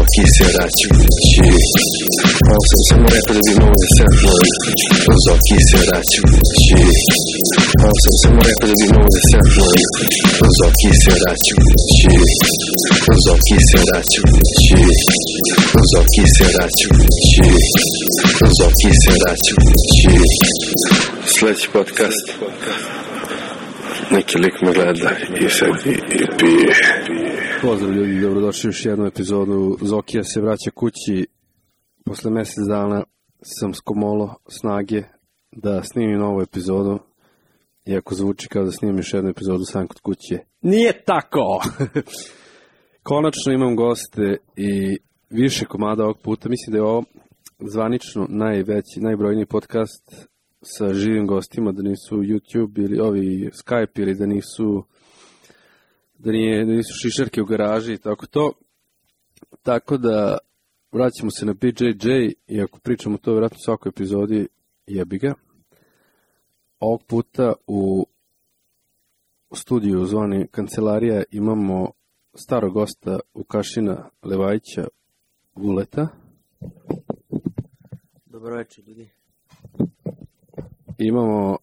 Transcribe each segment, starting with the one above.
occhi serrati, siamo rap di nuovo sempre, os occhi serrati, siamo rap di nuovo sempre, os occhi serrati, os occhi serrati, os occhi serrati, os occhi serrati. Sljedeći podcast, neki lik me gleda i sedi i pije. Pozdrav ljudi, dobrodošli u još jednu epizodu. Zokija se vraća kući. Posle mjesec dana sam skomolo snage da snimim novu epizodu. Iako zvuči kao da snimim još jednu epizodu sam kod kuće. Nije tako! Konačno imam goste i više komada ovog puta. Mislim da je ovo zvanično najbrojniji podcast sa živim gostima, da nisu YouTube ili ovi Skype ili da nisu šišarke u garaži i tako to. Tako da vraćamo se na BJJ i ako pričamo to vjerojatno u svakoj epizodi, jebi ga. Ovog puta u studiju zvani Kancelarija imamo starog gosta Vukašina Levajića Vuleta. Dobro večer ljudi. Imamo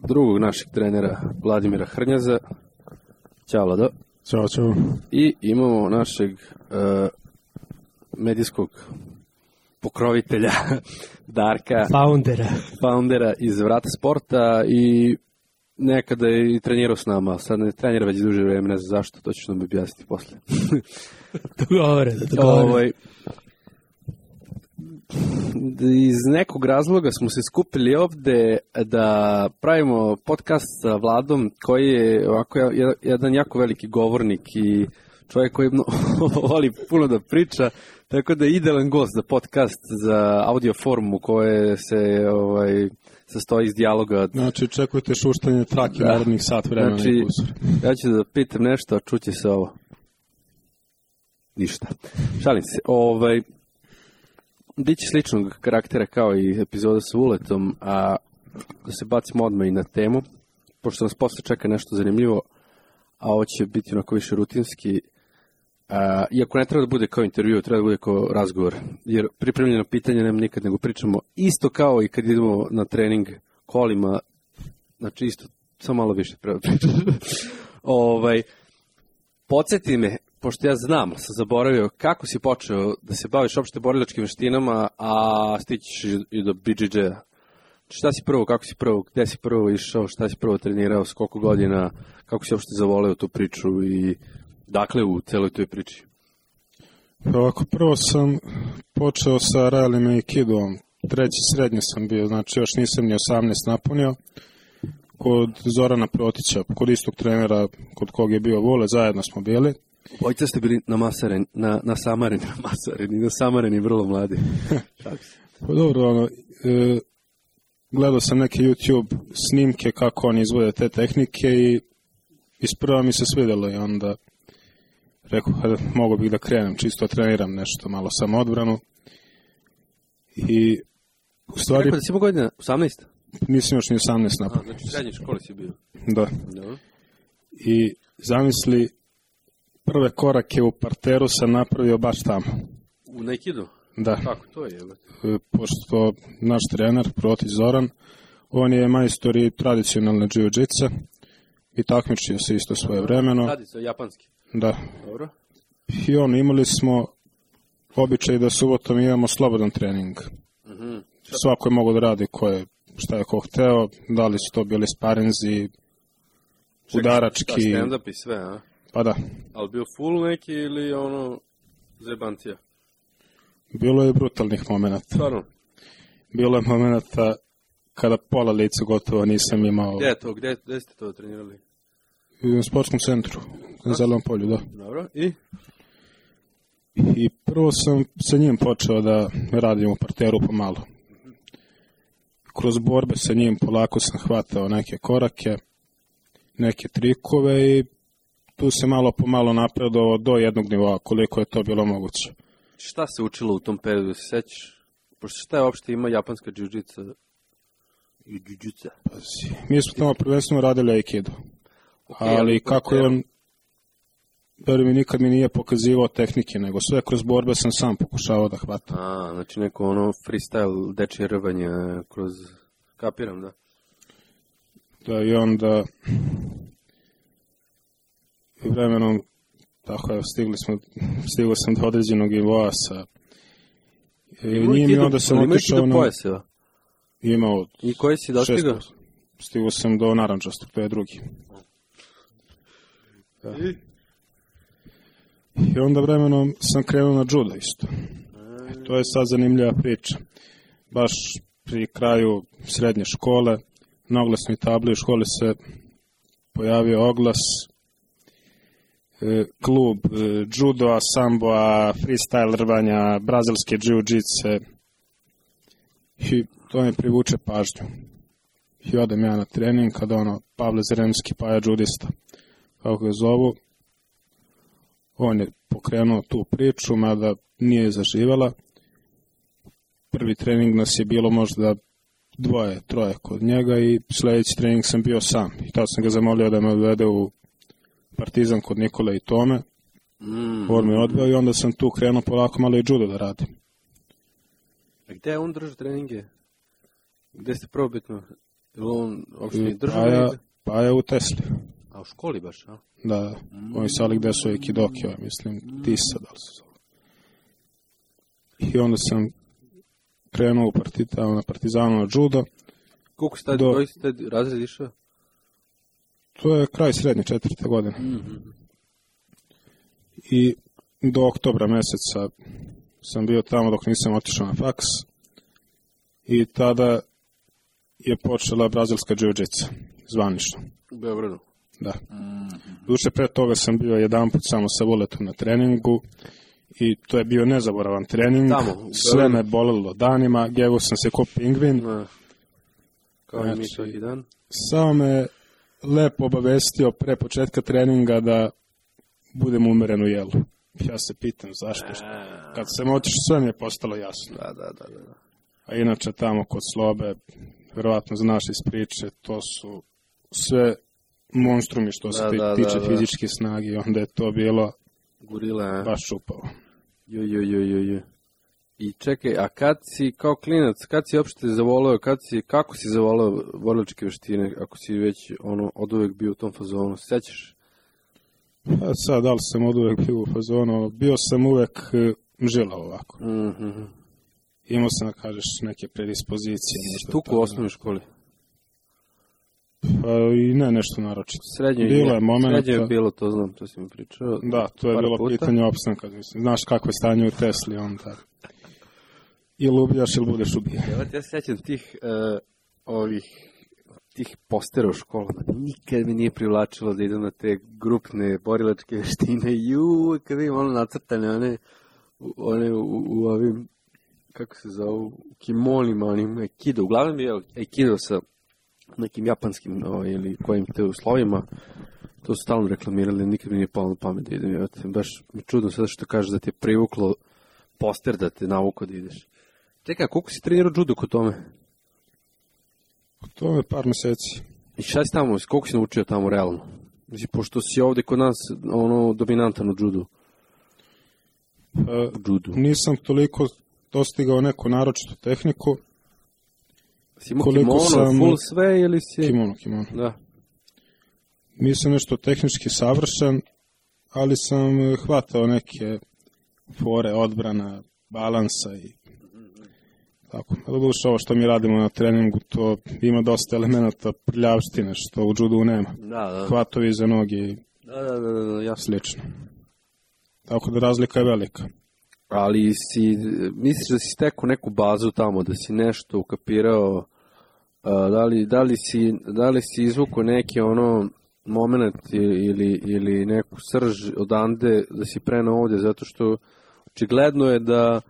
drugog našeg trenera Vladimira Hrnjaza. Ćao Vlado. Ćao, čao. I imamo našeg medijskog pokrovitelja Darka. Foundera iz Vrata sporta i nekada je i trenirao s nama. Sad ne trenira već duže vreme, ne znam zašto, to ćeš nam objasniti posle. Dogovore. Iz nekog razloga smo se skupili ovde da pravimo podcast sa Vladom koji je ovako jedan jako veliki govornik i čovjek koji voli puno da priča, tako da je idealan gost za podcast za audio formu koje se sastoji iz dijaloga. Znači, čekujte šuštanje trake narodnih sat vremena. Znači, ja ću da pitam nešto, a čuće se ovo. Ništa. Šalim se. Biće sličnog karaktera kao i epizoda sa Vuletom, a da se bacimo odmah i na temu, pošto nas posle čeka nešto zanimljivo, a ovo će biti onako više rutinski. Iako ne treba da bude kao intervju, treba da bude kao razgovor, jer pripremljeno pitanje nema nikad, nego pričamo isto kao i kad idemo na trening kolima, znači isto, samo malo više treba pričati. Podsjeti me, pošto ja znam, sam zaboravio, kako si počeo da se baviš opšte borilačkim veštinama, a stićeš i do BJJ-a. Šta si prvo, kako si prvo, gde si prvo išao, šta si prvo trenirao, s koliko godina, kako si opšte zavoleo tu priču i dakle u celoj toj priči? Ovako, prvo sam počeo sa realnim aikidom, treći srednje sam bio, znači još nisam ni 18 napunio, kod Zorana Protića, kod istog trenera kod kog je bio Vule, zajedno smo bili. Ojica ste bili na Samareni, vrlo mladi. Pa dobro, gledao sam neke YouTube snimke kako oni izvode te tehnike i isprva mi se svidjelo i onda rekao, mogu bih da krenem, čisto treniram nešto, malo samo odbranu. I u stvari... Rekao da si imao godina 18? Nisam još ni 18 napunio. Znači u srednjoj školi si bio? Da. I zamisli, prve korake u parteru sam napravio baš tamo. U Aikidu? Da. Kako to je? Pošto naš trener, Protić Zoran, on je majstor i tradicionalne jiu-jitsa i takmičio se isto svoje vremeno. Tradicija, japanski? Da. Dobro. I imali smo običaj da subotom imamo slobodan trening. Mm-hmm. Svako je mogao da radi šta je ko hteo, da li su to bili sparinzi, udarački. Stand-up i sve, a? Pa da. Ali bio full neki ili zajebantija? Bilo je brutalnih momenata. Stvarno? Bilo je momenata kada pola lica gotovo nisam imao. Gde je to? Gde ste to trenirali? U sportskom centru, na Zelenom polju, da. Dobro, i? I prvo sam sa njim počeo da radim u parteru pomalo. Kroz borbe sa njim polako sam hvatao neke korake, neke trikove i tu se malo pomalo napredovao do jednog nivoa, koliko je to bilo moguće. Šta se učilo u tom periodu, se sećaš? Pošto šta je uopšte ima japanska jiu-jitsa i jiu-jitsa? Mi smo tamo prvenstveno radili aikido, ali kako je on mi nikad mi nije pokazivao tehnike, nego sve kroz borbe sam sam pokušavao da hvatam. Znači neko ono freestyle dečje rvanje kroz... Kapiram, da. Da, i onda vremenom, tako je, stigao sam do određenog nivoa sa njim i onda sam otišao na... pojaseva? Imao... I koji si dostigao? Stigao sam do narančastog, to je drugi. Da. I onda vremenom sam krenuo na judo isto. To je sad zanimljiva priča. Baš pri kraju srednje škole, na oglasnoj tabli u školi se pojavio oglas klub judoa, samboa, freestyle rvanja, brazilske jiu-jitse i to mi privuče pažnju. I odem ja na trening kada Pavle Zeremski, Paja judista, kako ga zovu, on je pokrenuo tu priču, mada nije zaživjela. Prvi trening nas je bilo možda 2-3 kod njega i sljedeći trening sam bio sam. I tada sam ga zamolio da me odvede u Partizan kod Nikole i Tome. On me odveo i onda sam tu krenuo polako malo i judo da radim. A gde on drži treninge? Gde ste probitno? Je li on uopšte držao? Paja u Tesli. A u školi baš, a? Da, oni sali gde su Aikidoki, mislim, Tisa, da li se zove. I onda sam krenuo na Partizanu na judo. Koliko si koji si tad razred išao? To je kraj srednje 4. godine. I do oktobra meseca sam bio tamo dok nisam otišao na faks. I tada je počela brazilska jiu-jitsa, zvanično. U Beogradu? Da. Duše pre toga sam bio jedanput samo sa Vuletom na treningu i to je bio nezaboravan trening. Tamo, sve me bolelo danima, gego sam se ko pingvin. Kao i mi svaki dan. Samo me lepo obavestio pre početka treninga da budem umeren u jelu. Ja se pitam zašto. Kad sam otišao, sve mi je postalo jasno. Da. A inače tamo kod Slobe, verovatno znaš iz priče, to su sve monstrumi što se tiče fizičke snage, onda je to bilo Gorila, baš čupavo. Jo. I čekaj, a kad si kao klinac, kad si uopšte zavoleo, kako si zavoleo borilačke veštine, ako si već od uvek bio u tom fazonu, sećaš? Pa sad, da li sam od uvek bio u fazonu, bio sam uvek žilao ovako. Imao sam, da kažeš, neke predispozicije. Stuku u osnovnoj školi? Pa i ne nešto naročito. Srednje je bilo, to znam, to si mi pričao. Da, to je bilo pitanje opstanka. Znaš kako je stanje u Tesli, onda ili ubijaš ili budeš ubijan. Ja se sjećam tih postera u školama. Nikad mi nije privlačilo da idem na te grupne borilačke veštine. Kada imam nacrtane one u ovim, kako se zovu, u kimonima, onim aikido. Uglavnom je aikido sa nekim japanskim ili kojim te uslovima. To su stalno reklamirali, nikad mi nije palo na pamet da idem. Baš mi čudno sada što kažeš da ti je privuklo poster da te navuko da ideš. Čekaj, koliko si trenirao judo kod tome? Kod tome par meseci. I šta si tamo, koliko si naučio tamo realno? Znači, pošto si ovde kod nas dominantan u judu. Nisam toliko dostigao neku naročitu tehniku. Si imao kimono, full sve ili si... Kimono. Da. Nisam nešto tehnički savršen, ali sam hvatao neke fore, odbrana, balansa i tako. Doduše, ovo što mi radimo na treningu, to ima dosta elemenata prljavštine, što u judu nema. Da. Hvatovi iza noge i slično. Tako da razlika je velika. Ali misliš da si stekao neku bazu tamo, da si nešto ukapirao, da li si izvukao neki moment ili neku srž odande da si prenao ovdje, zato što očigledno je da,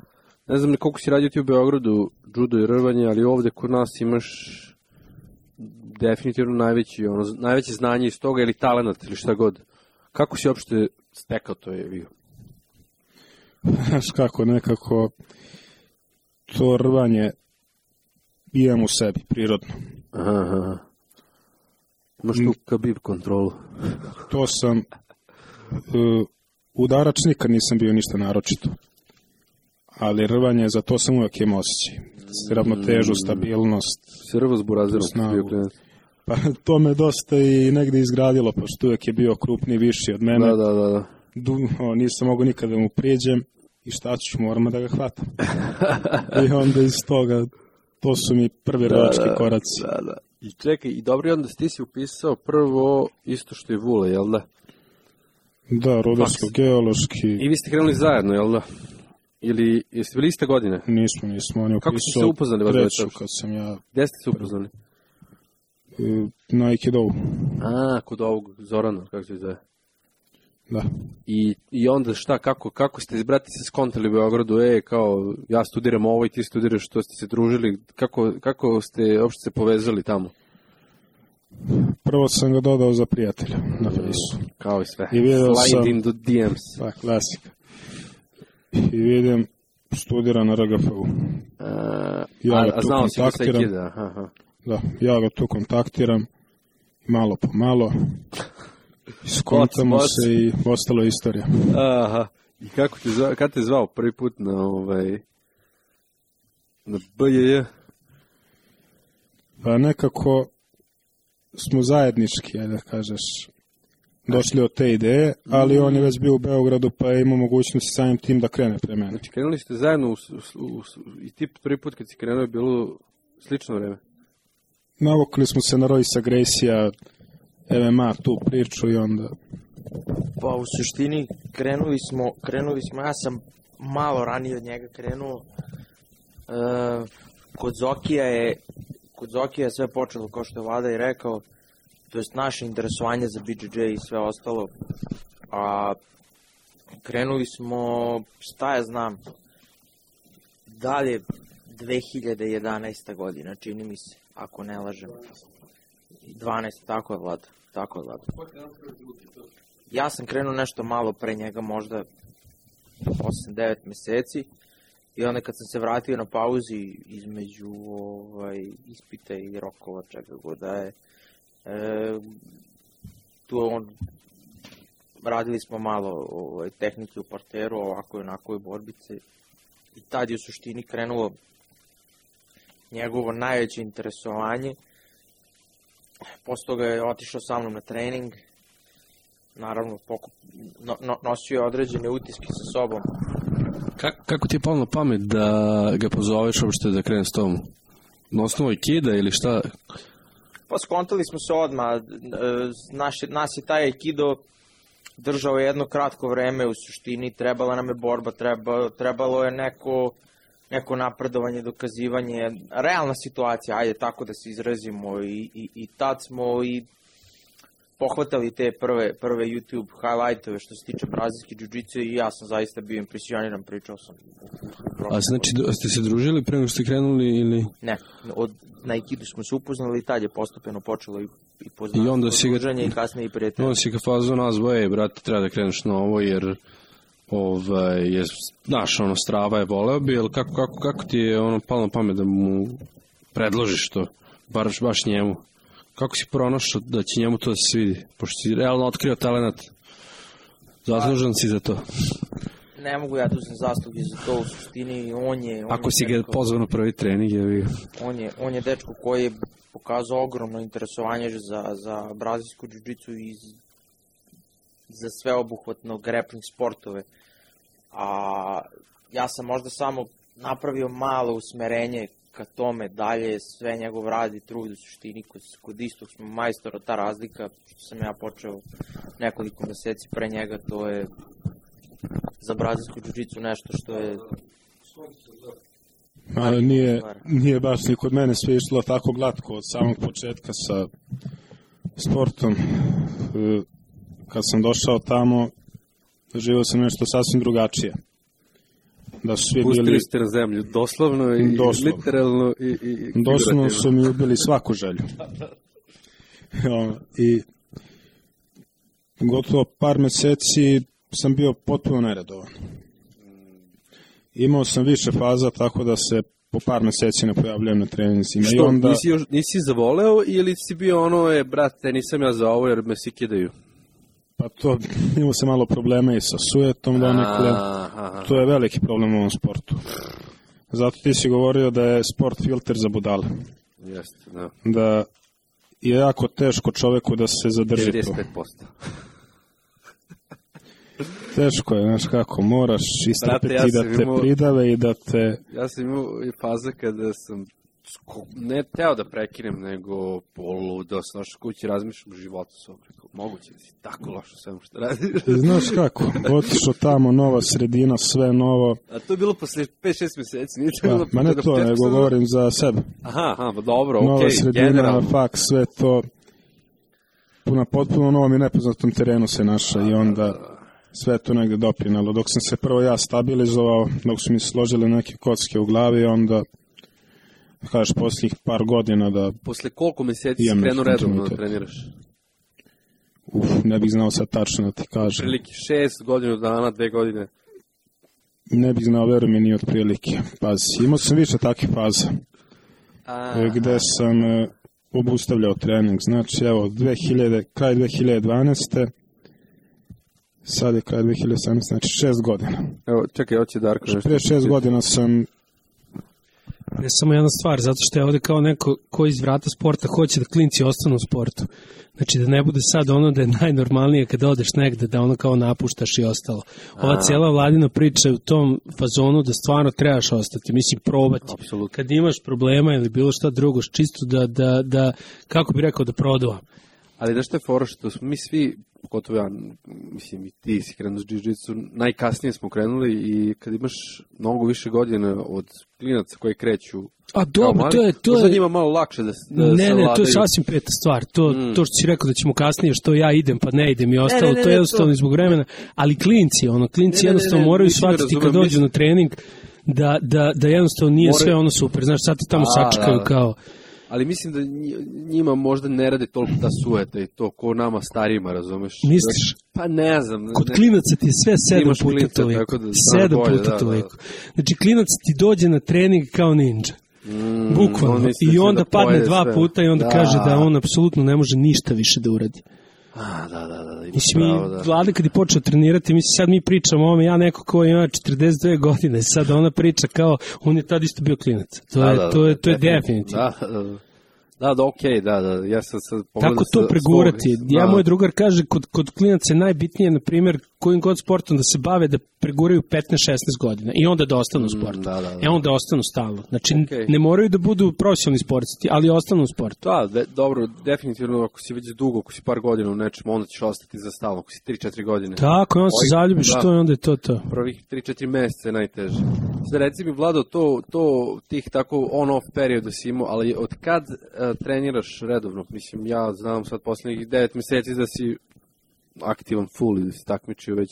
ne znam koliko si radio ti u Beogradu, judo i rvanje, ali ovdje kod nas imaš definitivno najveće znanje iz toga ili talenat ili šta god. Kako si uopšte stekao to je bio? Znaš kako, nekako to rvanje imam u sebi, prirodno. Aha. Imaš tu kabib kontrolu. To sam udarač nikad nisam bio ništa naročito. Ali rvanje, za to sam uvijek imao osjećaj. Ravnotežu, stabilnost. Si rvo s burazerom. Pa to me dosta i negde izgradilo, pošto uvijek je bio krupniji, viši od mene. Da. Nisam mogao nikada mu priđem i šta ću, moramo da ga hvatam. I onda iz toga, to su mi prvi rvački koraci. Da. I čekaj, i dobro, onda ti si upisao prvo isto što je Vule, jel da? Da, rudarsko-geološki. I vi ste krenuli zajedno, jel da? Ili jeste bili iste godine? Nismo, on je upisao. Kako ste se upoznali? Treću, kad sam ja... Gde ste se upoznali? Na Aikidovu. Kod ovog Zorana, kako se zove? Da. I onda šta, kako ste brati se skontali u Beogradu, kao ja studiram ovo i ti studiraš, što ste se družili, kako ste uopšte se povezali tamo? Prvo sam ga dodao za prijatelja na Fejsu. Kao i sve. Slide into DMs. Pa, klasika. I vidim, studira na RGF-u. A znao si da se Aikida? Da, ja ga tu kontaktiram, malo po malo, skontamo se i ostalo je istorija. Aha, i kad te zvao prvi put na BJJ? Pa nekako smo zajednički, da kažeš, došli od te ideje, ali on je već bio u Beogradu pa je imao mogućnost samim tim da krene pre mene. Znači, krenuli ste zajedno i ti prvi put kad si krenuo je bilo slično vreme? Navukli smo se na Roysa Gracie-a, MMA, tu priču i onda... Pa u suštini krenuli smo, ja sam malo ranije od njega krenuo. Kod Zokija je sve počelo, kao što je Vlada i rekao, to jest naše interesovanje za BJJ i sve ostalo. A krenuli smo, šta ja znam, dalje 2011. godina, čini mi se, ako ne lažem. 12, tako je Vlada. Ja sam krenuo nešto malo pre njega, možda 8-9 meseci. I onda kad sam se vratio na pauzi između ispita i rokova, čega god da je, radili smo malo tehnike u parteru, ovako i onako i borbice. I tad je u suštini krenulo njegovo najveće interesovanje. Posle toga je otišao sa mnom na trening. Naravno, nosio je određene utiske sa sobom. Kako ti je palo na pamet da ga pozoveš uopšte da krene s tom? Na osnovu Aikida ili šta? Pa skontali smo se odmah. Nas je taj Aikido držao jedno kratko vreme u suštini. Trebala nam je borba, trebalo je neko napredovanje, dokazivanje. Realna situacija, ajde tako da se izrazimo. I tad smo i pohvatali te prve YouTube highlightove što se tiče brazilske jiu-jitsu i ja sam zaista bio impresioniran, pričao sam. A znači, ste se družili pre nego ste krenuli ili? Ne, na Aikidu smo se upoznali i tad je postupeno počelo i poznavanje, druženje i kasnije i prijatelje. Onda si ga fazo nazvao, brate, treba da kreneš na ovo jer znaš, Strava je voleo bi, ali kako ti je palo na pamet da mu predložiš to, baš njemu? Kako si pronašao da će njemu to da se svidi? Pošto si realno otkrio talenat. Zaslužan si za to. Ne mogu ja tu sam zaslugi za to u suštini. Ako si ga pozvao na prvi trening, je vi... On je dečko koji je pokazao ogromno interesovanje za brazilsku jiu-jitsu i za sveobuhvatno grappling sportove. A ja sam možda samo napravio malo usmerenje ka tome, dalje sve njegov rad i trud u suštini. Kod istog smo majstora, ta razlika što sam ja počeo nekoliko meseci pre njega, to je za brazilsku jiu-jitsu nešto što je... Ali nije baš ni kod mene sve išlo tako glatko od samog početka sa sportom. Kad sam došao tamo, živio sam nešto sasvim drugačije. Da su svi pustili ste na zemlju, doslovno i literalno i doslovno su mi ubili svaku želju. I gotovo par meseci sam bio potpuno neredovan. Imao sam više faza, tako da se po par meseci ne pojavljujem na treninzima. Što, onda... nisi zavoleo ili si bio brate, nisam ja za ovo jer me si kidaju? Pa to, imao se malo problema i sa sujetom donekle. To je veliki problem u ovom sportu. Zato ti si govorio da je sport filter za budale. Jeste, da. Da je jako teško čoveku da se zadrži 95%. Teško je, znaš kako, moraš istrpiti da te pridave i da te... Ja sam imao i faza kada sam ne teo da prekinem, nego poludo, znaš, kući razmišljam o životu svom. Moguće da si tako lošo svemu što radiš. Znaš kako, otišao tamo, nova sredina, sve novo. A to je bilo posle 5-6 meseci, nije to bilo... Ma ne to, nego govorim za sebe. Aha, pa dobro, okej, nova sredina, generalno. faks, sve to, na potpuno novom i nepoznatom terenu se našao i onda sve to negde doprinalo. Dok sam se prvo ja stabilizovao, dok su mi složile neke kocke u glavi, onda kažeš posljednjih par godina da... Posle koliko meseci si krenuo redovno da treniraš? Ne bih znao sad tačno da ti kažem. Prilike 6 godina dana, 2 godine? Ne bih znao, verujem mi, ni od prilike. Pazi, imao sam više takih faza. Gde sam obustavljao trening. Znači, evo, kraj 2012. Sad je kraj 2018, znači 6 godina. Evo, čekaj, hoće Darko nešto. Prije 6 godina sam... Ne samo jedna stvar, zato što je ovde kao neko ko iz vrata sporta hoće da klinci ostanu u sportu. Znači da ne bude sad ono da je najnormalnije kada odeš negde, da ono kao napuštaš i ostalo. Ova cijela vladina priča je u tom fazonu da stvarno trebaš ostati, mislim probati. Apsolutno. Kad imaš problema ili bilo šta drugo, čisto da kako bi rekao, da produvam. Ali da što je fora što smo mi svi, pogotovo ja, mislim i ti si krenuo s jiu-jitsu, najkasnije smo krenuli i kad imaš mnogo više godina od klinaca koji kreću. A dobro, to možda je... njima malo lakše da se Ne, to je sasvim peta stvar. To što si rekao da ćemo kasnije, što ja idem pa ne idem i ostalo, to je jednostavno zbog vremena. Ali klinci jednostavno moraju shvatiti kad dođu na trening da jednostavno nije sve ono super. Znaš, sad ti tamo sačekaju kao... Ali mislim da njima možda ne rade toliko ta sujeta i to ko nama starijima, razumeš? Misliš? Pa ne znam. Kod klinaca ti je sve 7 puta toliko. 7 puta toliko. Znači klinac ti dođe na trening kao ninja. Bukvalno. I onda padne 2 puta i onda kaže da on apsolutno ne može ništa više da uradi. Da. Mislim, Vlada kad je počeo trenirati, mislim, sad mi pričamo o ovome, ja neko ko ima 42 godine, sad ona priča kao, on je tad isto bio klinac. To je definitivno. Okej, ja sam sad pogledao. Tako to pregurati. Moj drugar kaže, kod klinaca je najbitnije, na primjer, kojim god sportom da se bave, da preguraju 15-16 godina i onda da ostanu u sportu. Onda ostanu stalno. Znači, ne moraju da budu profesionalni sportisti, ali ostanu u sportu. Dobro, definitivno, ako si već dugo, ako si par godina u nečemu, onda ćeš ostati za stalno, ako si 3-4 godine. Tako, onda se zaljubiš to i onda je to. Prvih 3-4 meseca je najteže. Sada reci mi, Vlado, to tih tako on-off perioda si imao, ali od kad treniraš redovno? Mislim, ja znam sad poslednjih 9 meseci da si aktivan full i da si takmičio već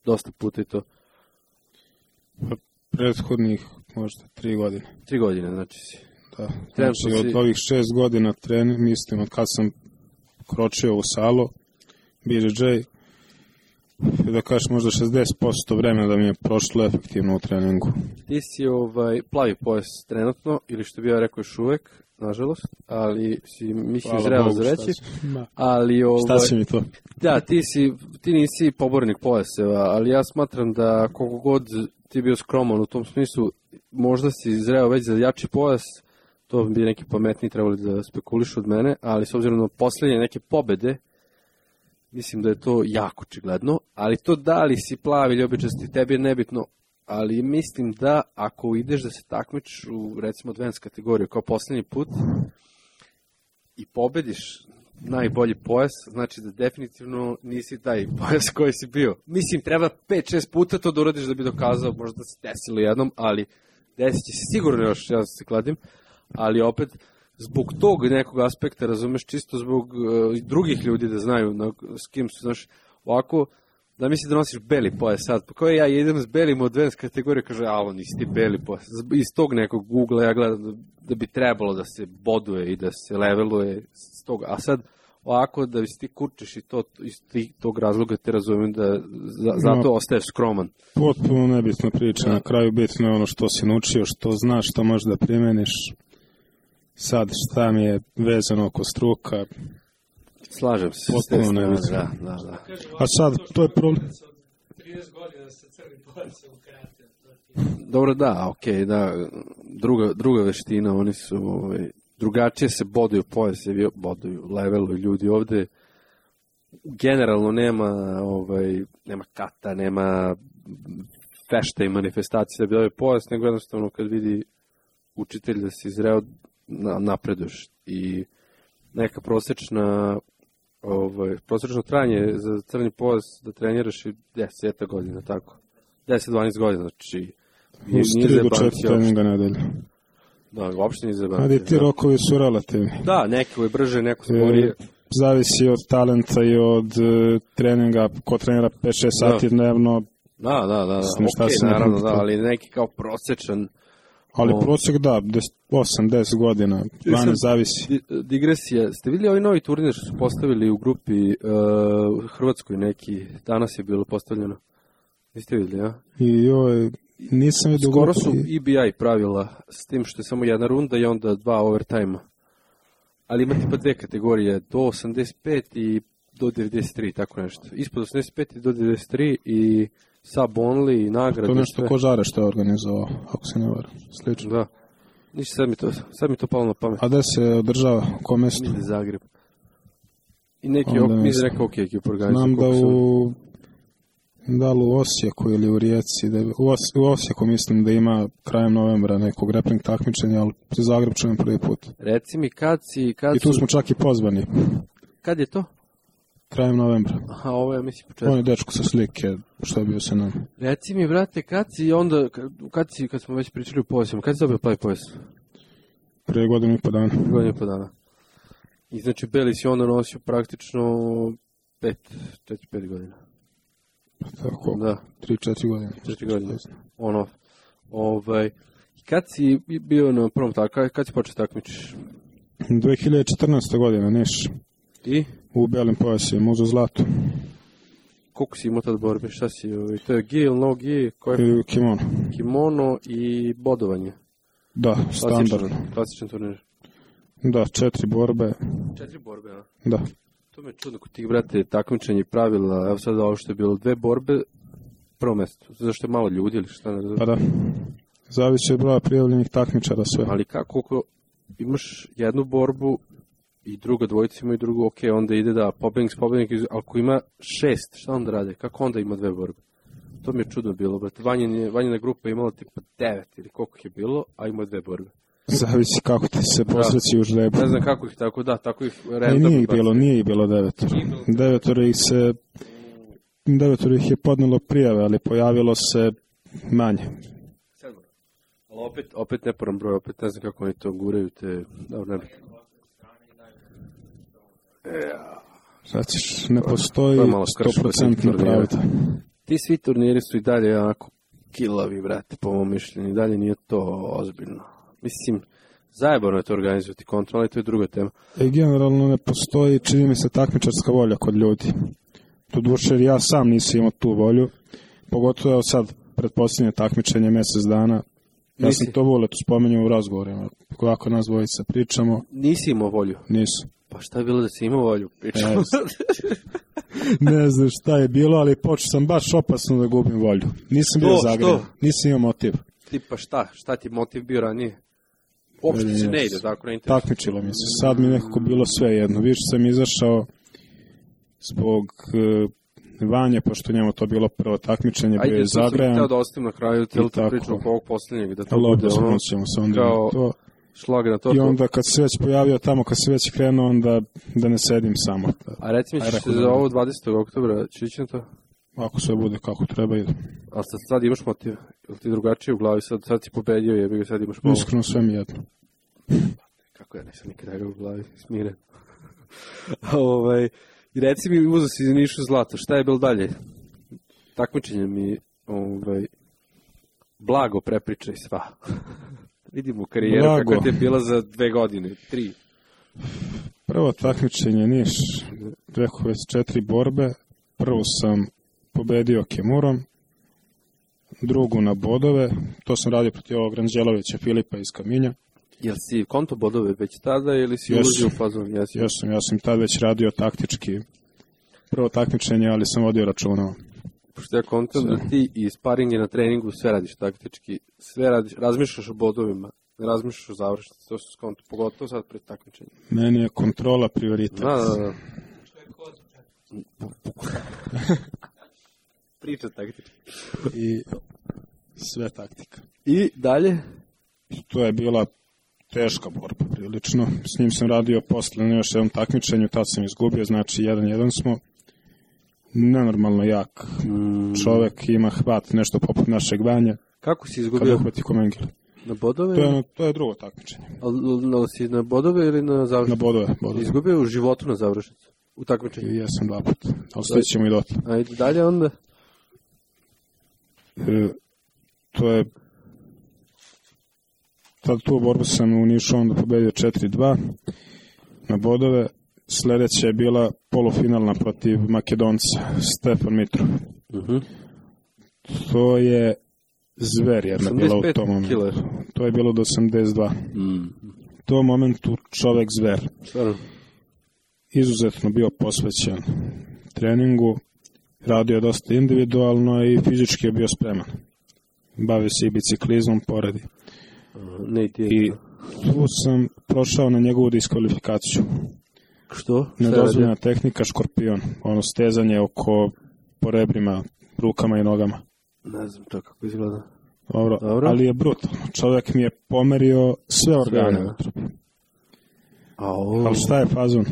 dosta puta i to. Prethodnih možda 3 godine. 3 godine, znači si. Da, znači od ovih 6 godina trening, mislim, od kad sam kročio u salu, BJJ, da kažeš možda 60% vremena da mi je prošlo efektivno u treningu. Ti si plavi pojas trenutno, ili što bi ja rekao još uvek, nažalost, ali si mislim zrelo za reći. Šta si mi to? Da, ti nisi pobornik pojaseva, ali ja smatram da koliko god ti bio skroman u tom smislu, možda si zreo već za jači pojas, to bi neki pametniji trebali da spekulišu od mene, ali s obzirom na poslednje neke pobede, mislim da je to jako očigledno, ali to da li si plavi ili običasti, tebi je nebitno, ali mislim da ako ideš da se takmičiš u recimo advanced kategoriju kao poslednji put i pobediš najbolji pojas, znači da definitivno nisi taj pojas koji si bio. Mislim, treba 5-6 puta to da uradiš da bi dokazao, možda se desilo jednom, ali desit će se sigurno još, ja se kladim, ali opet zbog tog nekog aspekta, razumeš, čisto zbog drugih ljudi da znaju s kim su, znaš, ovako, da misli da nosiš beli pojas sad, pa kao ja idem s belim u advanced kategoriju, kaže, alo, nisi ti beli pojas. Iz tog nekog Google ja gledam da bi trebalo da se boduje i da se leveluje s toga, a sad ovako da si ti kurčiš i to iz tog razloga te razumijem da zato ostaješ skroman. Potpuno nebitna priča, na kraju bitno je ono što si naučio, što znaš, što možeš da primeniš. Sad šta mi je vezano oko struka, Slažem se. Potpuno nebitno. Da. A sad, to je problem. 30 godina sa crnim pojasom u karate. Dobro, da, okej, da. Druga veština, oni su drugačije se boduju pojase, boduju, leveluju ljudi ovde. Generalno nema kata, nema fešta i manifestacije da bi dao pojas, nego jednostavno kad vidi učitelj da si zreo, napreduješ. I neka prosječno trajanje za crni pojas da treniraš i 10 godina, tako. 10-12 godina, znači Uz 3 do 4 treninga nedelje. Da, uopšte nije zabanci. Ali ti rokovi su relativni. Da, neko je brže, neko sporije. Zavisi od talenta i od treninga, ko trenira 5-6 sati dnevno. Da, naravno, ali neki kao prosječan. Ali prosjek da, 8-10 godina, 12 zavisi. Digresija, ste vidjeli ovaj novi turnir što su postavili u grupi Hrvatskoj neki, danas je bilo postavljeno? Niste vidjeli, ja? Nisam vidio skoro su EBI pravila s tim što je samo jedna runda i onda 2 overtime-a. Ali ima tipa 2 kategorije, do 85 i do 93, tako nešto. Ispod 85 i do 93 i sub only i nagrade. To nešto Kožare što je organizovao, ako se ne varam. Slično. Da. Ništa, sad mi to palo na pamet. A gde se održava? Ko mesto? Ide Zagreb. I neki ok ekip organizuje. Znam da li u Osijeku ili u Rijeci. U Osijeku mislim da ima krajem novembra neko grappling takmičenje, ali za Zagreb čujem prvi put. Reci mi I tu smo čak i pozvani. Kad je to? Krajem novembra. Aha, ovo je mislim početak. On je dečko sa slike, što je bio sa nama. Reci mi, brate, kad smo već pričali u pojasima, kad si dobio plavi pojas? Prije godinu i po dana. I znači, beli si onda nosio praktično 4-5 godina. Tako, da. 3-4 godine. 4 godine. Kad si bio na prvom kad si počeo takmičiš? 2014. godina, Niš. I? U belim pojasima, uzeo zlato. Koliko si imao tad borbe? Šta si? To je gi ili no gi? Kimono. Kimono i bodovanje. Da, standardno. Klasičan turnir. Da, 4 borbe. 4 borbe, a? Da. To me je čudno kod tih, brate, takmičenja i pravila. Evo sad ovo što je bilo 2 borbe, prvo mesto. Zašto je malo ljudi ili šta? Pa da. Zavisi od broja prijavljenih takmičara sve. Ali kako imaš jednu borbu i druga dvojica ima i drugu, ok, onda ide da pobednik, ali ako ima 6, šta onda rade? Kako onda ima 2 borbe? To mi je čudno bilo, brate. Vanjina grupa je imala tipa 9 ili koliko je bilo, a ima 2 borbe. Zavisi kako ti se posreći u žlebu. Ne znam kako ih tako ih random. Nije ih bilo 9. 9 ih je podnelo prijave, ali pojavilo se manje. Ali opet neporan broj, opet ne znam kako oni to guraju, dobro, ne bi. Znači, ne postoji 100% pravda. Ti svi turniri su i dalje onako kilavi, brate, po mom mišljenju. I dalje nije to ozbiljno. Mislim, zajebano je to organizovati kontrol, ali to je druga tema. Generalno ne postoji, čini mi se, takmičarska volja kod ljudi. Doduše, ja sam nisam imao tu volju. Pogotovo sad, pred posljednje takmičenje, mjesec dana. Ja sam to volio, tu spomenjam u razgovorima. Kako nas dvojica pričamo. Nisi imao volju? Nisu. Pa šta je bilo da si imao volju? Pričamo. Ne znam šta je bilo, ali počeo sam baš opasno da gubim volju. Nisam bio zagreban, nisam imao motiv. Tipa šta ti motiv bio ranije? Uopšte se ne ide, tako ne interesuje. Takmičilo mi se, sad mi nekako bilo sve jedno. Više sam izašao zbog Vanje, pošto njemu to bilo prvo takmičenje, bio je zagrejan. Ajde, to sam htio da ostavim na kraju cijelu tu priču oko ovog posljednjeg, da to bude ono kao šlag na to. I onda kad se već pojavio tamo, kad se već krenuo, onda da ne sedim samo. A reci mi, ćeš se za ovo 20. oktobra, će ići na to? Ako sve bude kako treba, ide. A sad imaš motiv? Ili ti drugačije u glavi? Sad si pobedio, jebi ga, sad imaš malo? Iskreno sve mi jedno. Kako ja nisam nikada ga u glavi, smiren. I reci mi, uzeo si za Nišu zlato, šta je bilo dalje? Takmičenje mi, blago prepričaj sva. Vidimo karijeru kako ti je bila za 2 godine, 3. Prvo takmičenje Niš, rekao već 4 borbe. Prvu sam pobedio Kemurom, drugu na bodove, to sam radio protiv ovog Ranđelovića Filipa iz Kaminja. Jel si konto bodove već tada ili si ulazio u fazon? Ja sam tad već radio taktički. Prvo takmičenje, ali sam vodio računa. Pošto ja kontam da ti i sparinge na treningu sve radiš taktički, sve radiš, razmišljaš o bodovima, ne razmišljaš o završnici, to su skonto, pogotovo sad pred takmičenjem. Meni je kontrola prioritet. Da. Priča taktički. I sve taktika. I dalje? To je bila teška borba prilično. S njim sam radio posle na još jednom takmičenju, tad sam izgubio, znači 1-1 smo. Nenormalno jak čovek, ima hvat nešto poput našeg Vanja. Kako si izgubio? Kada uhvati Komengel. Na bodove? To je drugo takmičenje. Ali si na bodove ili na završnicu? Na bodove. Izgubio u životu na završnicu? U takmičenju? Jesam 2 puta, ali stićemo i dotle. Ajde dalje onda? To je... Tad tu borbu sam u Nišu onda pobedio 4-2 na bodove. Sledeća je bila polufinalna protiv Makedonca, Stefan Mitrov. To je zver jedna bila u tom momentu. Killer. To je bilo do 82. U tom momentu čovek zver. Izuzetno bio posvećen treningu, radio je dosta individualno i fizički je bio spreman. Bavio se i biciklizmom poredi. I tu sam prošao na njegovu diskvalifikaciju. Što? Nedozvoljena tehnika škorpion. Ono stezanje po rebrima, rukama i nogama. Ne znam to kako izgleda. Dobro. Ali je brutalno. Čovjek mi je pomerio sve organe. Ali šta je fazon?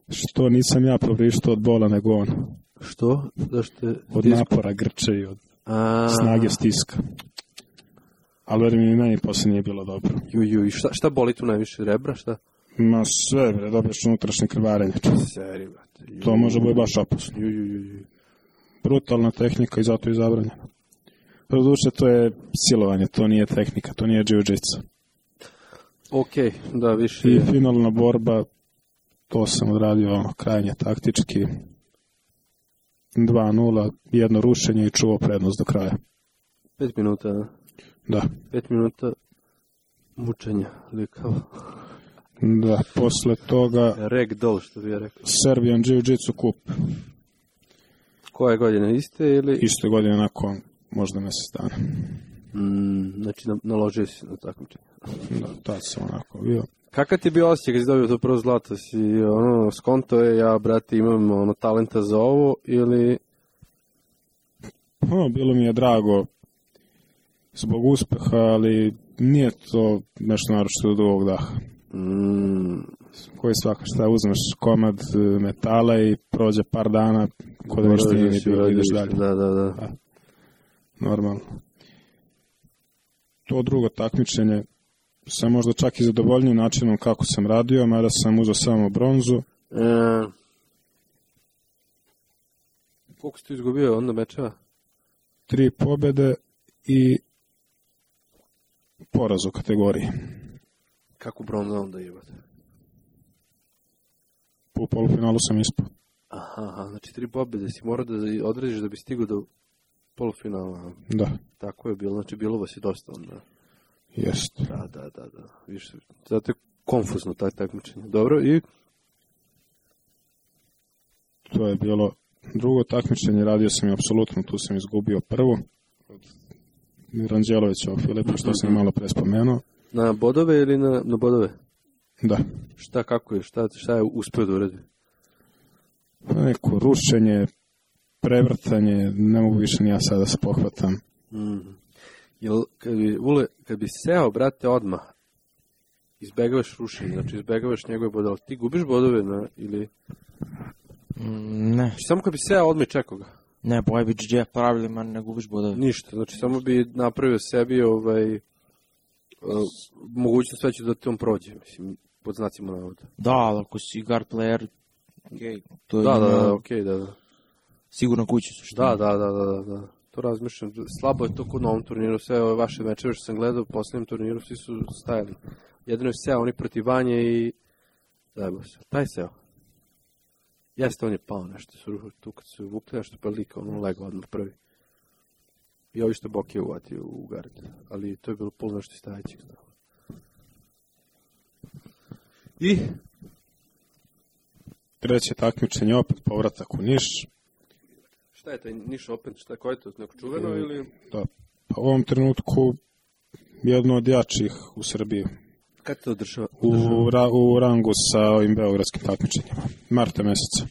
Što nisam ja povrištao od bola nego on. Što? Od napora grče i od snage stiska. Ali mi meni posle nije bilo dobro. I šta boli tu najviše? Rebra? Šta? Ma sve, dobiješ unutrašnje krvarenje. Seri, brate. To može biti baš opasno. Brutalna tehnika i zato je zabranjena. Doduše, to je silovanje, to nije tehnika, to nije jiu-jitsu. Okej, da, više. I finalna borba, to sam odradio krajnje taktički. 2-0, jedno rušenje i čuvao prednost do kraja. 5 minuta, da? Da. 5 minuta mučenja, likava. Da, posle toga... Ragdoll, što bi ja rekao. Serbian Jiu-Jitsu kup. Koje godine, iste ili... Iste godine, nakon možda mjesec dana. Znači, naložio si na takmičenje. Da, tad sam onako bio. Kakav ti je bio osjećaj kad si dobio to prvo zlato? Si, skonto je, ja, brate, imam talenta za ovo, ili... Bilo mi je drago zbog uspeha, ali nije to nešto naročito do ovog daha. Koji svaka šta uzmeš komad metala i prođe par dana kod da ništa nije bilo, ideš dalje. Da. Normalno. To drugo takmičenje sam možda čak i zadovoljniji načinom kako sam radio, mada sam uzeo samo bronzu. Koliko si tu izgubio onda mečeva? 3 pobjede i poraz u kategoriji. Kako bronza onda jebate? U polufinalu sam ispao. Aha, znači 3 pobjede si morao da odrediš da bi stigao do polufinala. Da. Tako je bilo, znači bilo vas je dosta onda. Jest. Da. Više, zato je konfuzno taj takmičenje. Dobro, i? To je bilo drugo takmičenje, radio sam i apsolutno, tu sam izgubio prvo. Od Ranđelovića Filipa, što sam malo pre spomenuo. Na bodove ili na bodove? Da. Šta, kako je, šta je uspio da uredi? Neko rušenje, prevrtanje, ne mogu više ni ja sada da se pohvatam. Jel, kad bi seo, brate, odmah, izbegavaš rušenje, znači izbegavaš njegove bodove, ti gubiš bodove, ili... Ne. Znači, samo kad bi seo, odmah čekao ga. Ne, boje bi GG pravilima, ne gubiš bodove. Ništa, znači samo bi napravio sebi mogućnost već da te on prođe, mislim, pod znacima navoda. Da, ali ako si guard player, to je... Da. Sigurno kući su što. Da. To razmišljam, slabo je to kod na ovom turniru, sve ove vaše mečeve što sam gledao u posljednjem turniru, svi su stajali. Jedino je seo, oni protiv Vanje i... Zajebo se, taj seo. Jeste, on je pao nešto, tu kad su vukli nešto pa lika, ono legao odmah prvi. I ovi što Bok je uvatio u gard, ali to je bilo pol nešto stajećih. I? Treće takmičenje, opet povratak u Niš. Šta je taj Niš Open? Ko je to? Neko čuveno ili? Da, pa u ovom trenutku jedno od jačih u Srbiji. Kad to održava? U rangu sa ovim beogradskim takmičenjima. Marta meseca.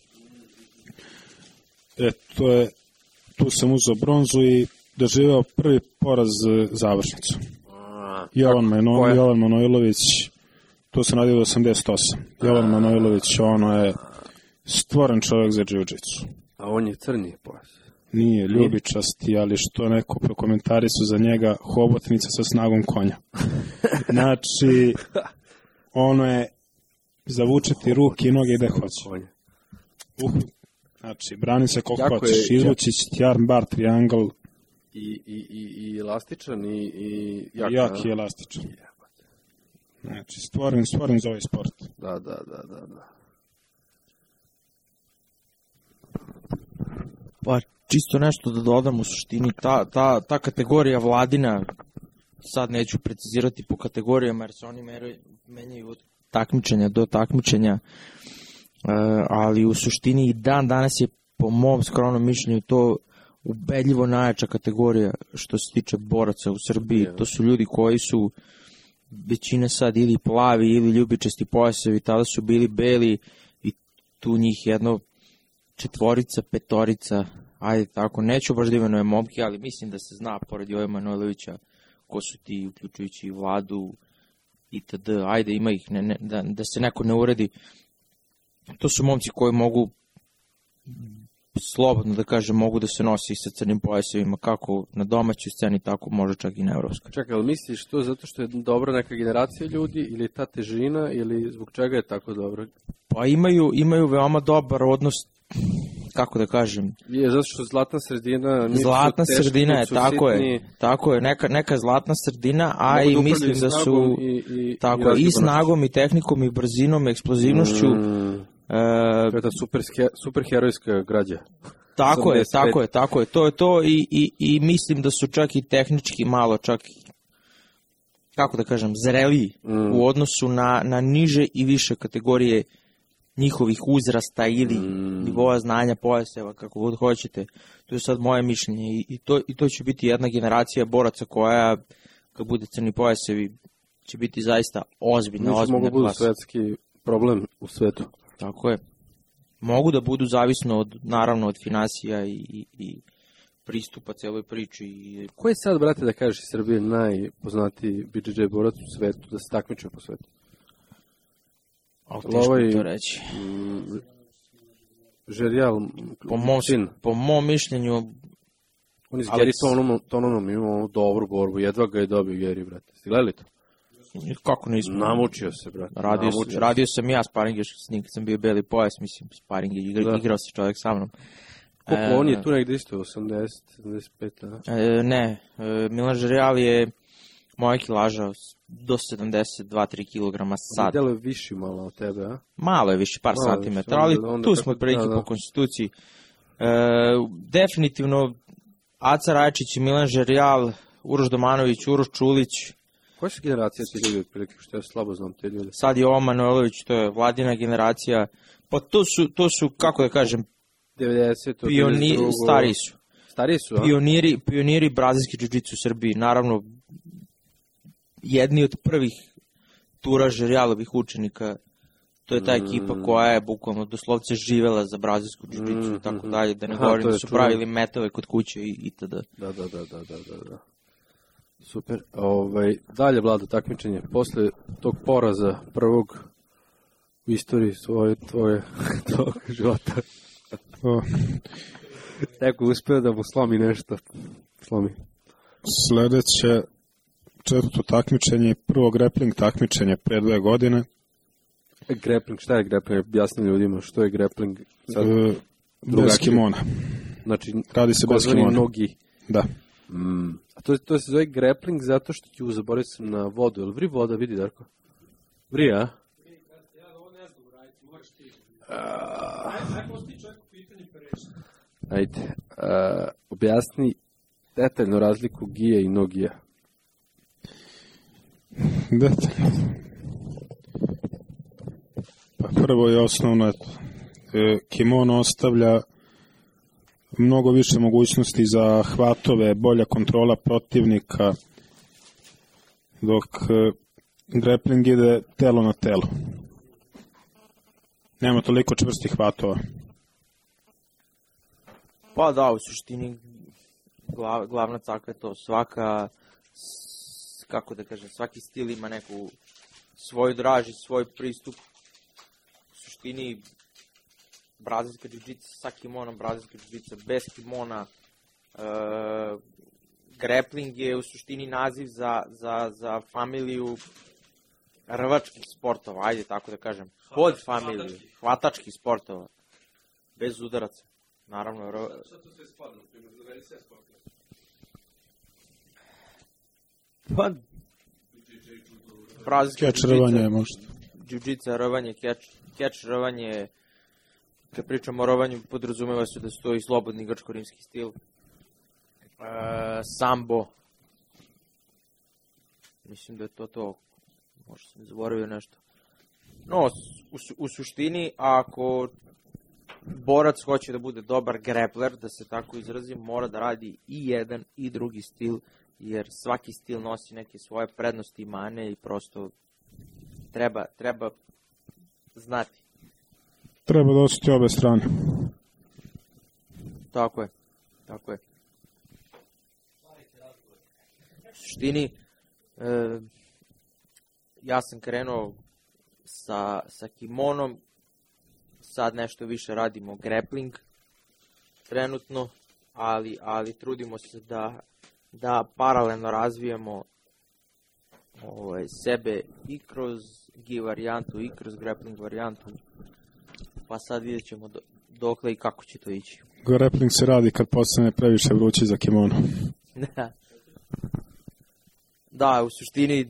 Tu sam uzeo bronzu i doživeo prvi poraz završnicu. Jovan Manojlović, tu sam radio do 88. Jovan Manojlović, ono je stvoren čovjek za džiu-džicu. A on je crni pojas. Nije ljubičasti, ali što neko prokomentari su za njega hobotnica sa snagom konja. Znači, ono je zavučeti ruke i noge gde hoće. Znači, brani se koliko hoćeš, izvući ti arm bar, triangle. I elastičan i jak i elastičan. Znači, stvoren za ovaj sport. Da. Pa čisto nešto da dodam, u suštini ta kategorija Vladina, sad neću precizirati po kategorijama jer se oni menjaju od takmičenja do takmičenja, ali u suštini i dan danas je po mom skromnom mišljenju to ubedljivo najjača kategorija što se tiče boraca u Srbiji. To su ljudi koji su većina sad ili plavi ili ljubičasti pojasevi, tada su bili beli i tu njih jedno 4, 5, ajde tako, neću baš da imenujem momke, ali mislim da se zna pored Jove Manojlovića ko su ti, uključujući i Vladu itd. Ajde, ima ih, da se neko ne uredi. To su momci koji mogu, slobodno da kažem, mogu da se nosi sa crnim pojasevima, kako na domaćoj sceni, tako može čak i na evropskoj. Čekaj, ali misliš to zato što je dobra neka generacija ljudi, ili ta težina, ili zbog čega je tako dobro? Pa imaju veoma dobar odnos, kako da kažem. Je, zato što zlatna sredina... Zlatna sredina je, tako je, neka zlatna sredina, a i mislim da su i snagom, i tehnikom, i brzinom, i eksplozivnošću. To je ta superherojska građa. Tako je, to je to i mislim da su čak i tehnički malo, čak, kako da kažem, zreliji u odnosu na niže i više kategorije njihovih uzrasta ili nivoa znanja pojaseva, kako god hoćete. To je sad moje mišljenje i to će biti jedna generacija boraca koja, kad bude crni pojasevi, će biti zaista ozbiljna klasa. Mogu budu svetski problem u svetu. Tako je. Mogu da budu zavisno naravno od finansija i pristupa celoj priči. Ko je sad, brate, da kažeš iz Srbije najpoznatiji BJJ borac u svetu, da se takmiče po svetu? Teško mi to reći. Žerijal, po mom mišljenju... On je s Geri Tononom imao dobru borbu, jedva ga je dobio Geri, brate. Ste gledali to? Kako nismo? Namučio se, brate. Radio sam ja sparing još s njim, kad sam bio beli pojas, mislim, sparing je igrao se čovjek sa mnom. Koliko on je tu negdje isto, 80, 75, Ne, Milan Žerijal je moja kilaža do 72-3 kg sad. Delo je viši malo od tebe, a? Malo je viši, par santimetara, ali tu smo otprilike po konstituciji. Definitivno, Aca Rajčić, Milan Žerijal, Uroš Domanović, Uroš Čulić. Koja su generacija ti ljudi otprilike, što ja slabo znam te ljudi? Sad je Jovan Manojlović, to je Vladina generacija. Pa to su kako da kažem, 90, stariji su, pioniri brazilske džiu-džicu u Srbiji. Naravno, jedni od prvih tura Žerijalovih učenika, to je ta ekipa koja je bukvalno doslovce živela za brazilsku džiu-džicu i tako dalje, da ne govorim da su pravili metove kod kuće itd. Da. Super. Dalje, Vlado, takmičenje. Posle tog poraza prvog u istoriji tvojeg života. Neko uspeo da mu slomi nešto. Sledeće 4. takmičenje, prvo grappling takmičenje pre 2 godine. Grappling, šta je grappling? Objasni ljudima što je grappling. Bez kimona. Znači, radi se bez kimona. Nogi. Da. A to se zove grappling zato što ću zaboraviti sam na vodu. Jel vri voda, vidi Darko? Vri, a? Ja ovo ne znam uraditi, moraš ti. Ajde, postoji čovjek u pitanju pereći. Ajde, objasni detaljno razliku gija i nogija. Detaljno. Prvo i osnovno, kimono ostavlja mnogo više mogućnosti za hvatove, bolja kontrola protivnika, dok grappling ide telo na telo. Nema toliko čvrstih hvatova. Pa da, u suštini glavna caka je to. Kako da kažem, svaki stil ima neku svoju draž i svoj pristup. U suštini, brazilska džiu-džica sa kimonom, brazilska džiu-džica bez kimona. Grappling je u suštini naziv za familiju rvačkih sportova, ajde tako da kažem. Pod familiju, hvatačkih sportova. Bez udaraca. Naravno, Šta to sve spadno? Zaveri sve sportove. Pa, brazilska Keč rvanje možda. Džiu-džica, rvanje, keč rvanje. Kad pričamo o rvanju, podrazumeva se da stoji slobodni grčko-rimski stil. Sambo. Mislim da je to. Možda sam zaboravio nešto. No, u suštini, ako borac hoće da bude dobar grappler, da se tako izrazim, mora da radi i jedan i drugi stil, jer svaki stil nosi neke svoje prednosti i mane i prosto treba znati. Treba da osjeti obe strane. Tako je. U suštini, ja sam krenuo sa kimonom, sad nešto više radimo grappling trenutno, ali trudimo se da paralelno razvijamo sebe i kroz gi varijantu i kroz grappling varijantu, pa sad vidjet ćemo dokle i kako će to ići. Grappling se radi kad postane previše vrući za kimono. Da, u suštini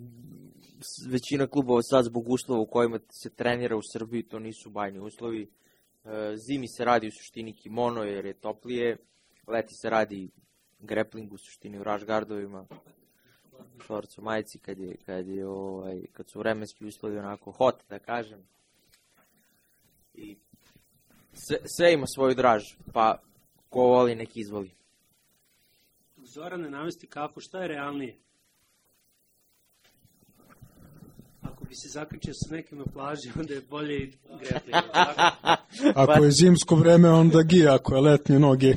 većina klubova sad zbog uslova u kojima se trenira u Srbiji, to nisu bajni uslovi. Zimi se radi u suštini kimono jer je toplije, leti se radi grappling u suštini u raš gardovima, šorcu majici kad su vremenski uslovi onako hot, da kažem. I sve ima svoju draž, pa ko voli nek izvoli. Zorane, navesti kako, šta je realnije? Ako bi se zaključio sa nekim na plaži, onda je bolje i grappling. Ako je zimsko vreme, onda gi, ako je letnje, noge.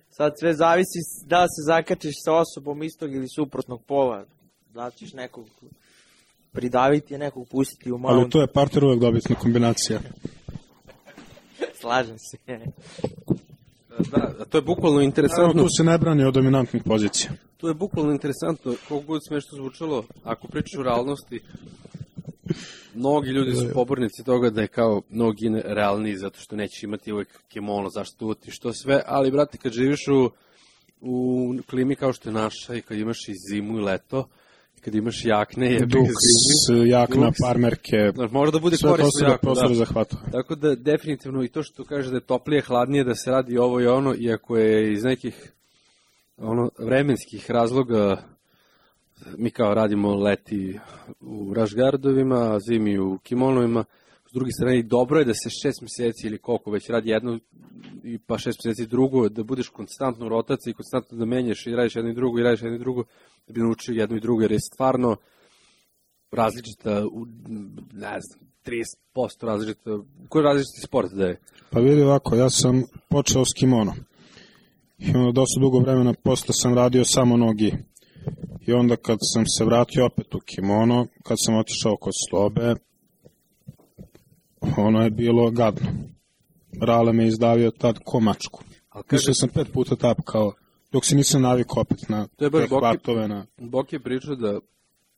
Sad sve zavisi da se zakačiš sa osobom istog ili suprotnog pola. Da ćeš nekog pridaviti, nekog pustiti u mount. Ali to je parter uvek dobitna kombinacija. Slažem se. Da, to je bukvalno interesantno. Tu se ne brani od dominantnih pozicija. To je bukvalno interesantno, koliko god smešno zvučalo, ako pričaš o realnosti, mnogi ljudi su pobornici toga da je kao mnogi realniji zato što neće imati uvek kimono, zašto uti, što sve, ali brate, kad živiš u klimi kao što je naša i kad imaš i zimu i leto, kad imaš jakne, jakna, parmerke, može da bude sve to se da prostor zahvata. Tako da definitivno i to što kaže da je toplije, hladnije, da se radi ovo i ono, iako je iz nekih vremenskih razloga mi kao radimo leti u rašgardovima, zimi u kimonovima, s druge strane dobro je da se 6 meseci ili koliko već radi jedno i pa 6 meseci drugo, da budeš konstantno u rotaciji i konstantno da menjaš i radiš jedno i drugo, da bi naučio jedno i drugo, jer je stvarno različita, ne znam, 30% različita, koji je različiti sport da je? Pa vidi ovako, ja sam počeo s kimonom i onda dosta dugo vremena posle sam radio samo nogi. I onda kad sam se vratio opet u kimono, kad sam otišao kod Slobe, ono je bilo gadno. Rale me izdavio tad ko mačku. Išao sam 5 puta tapkao, dok se nisam navikao opet na te hvatove. Boki je pričao da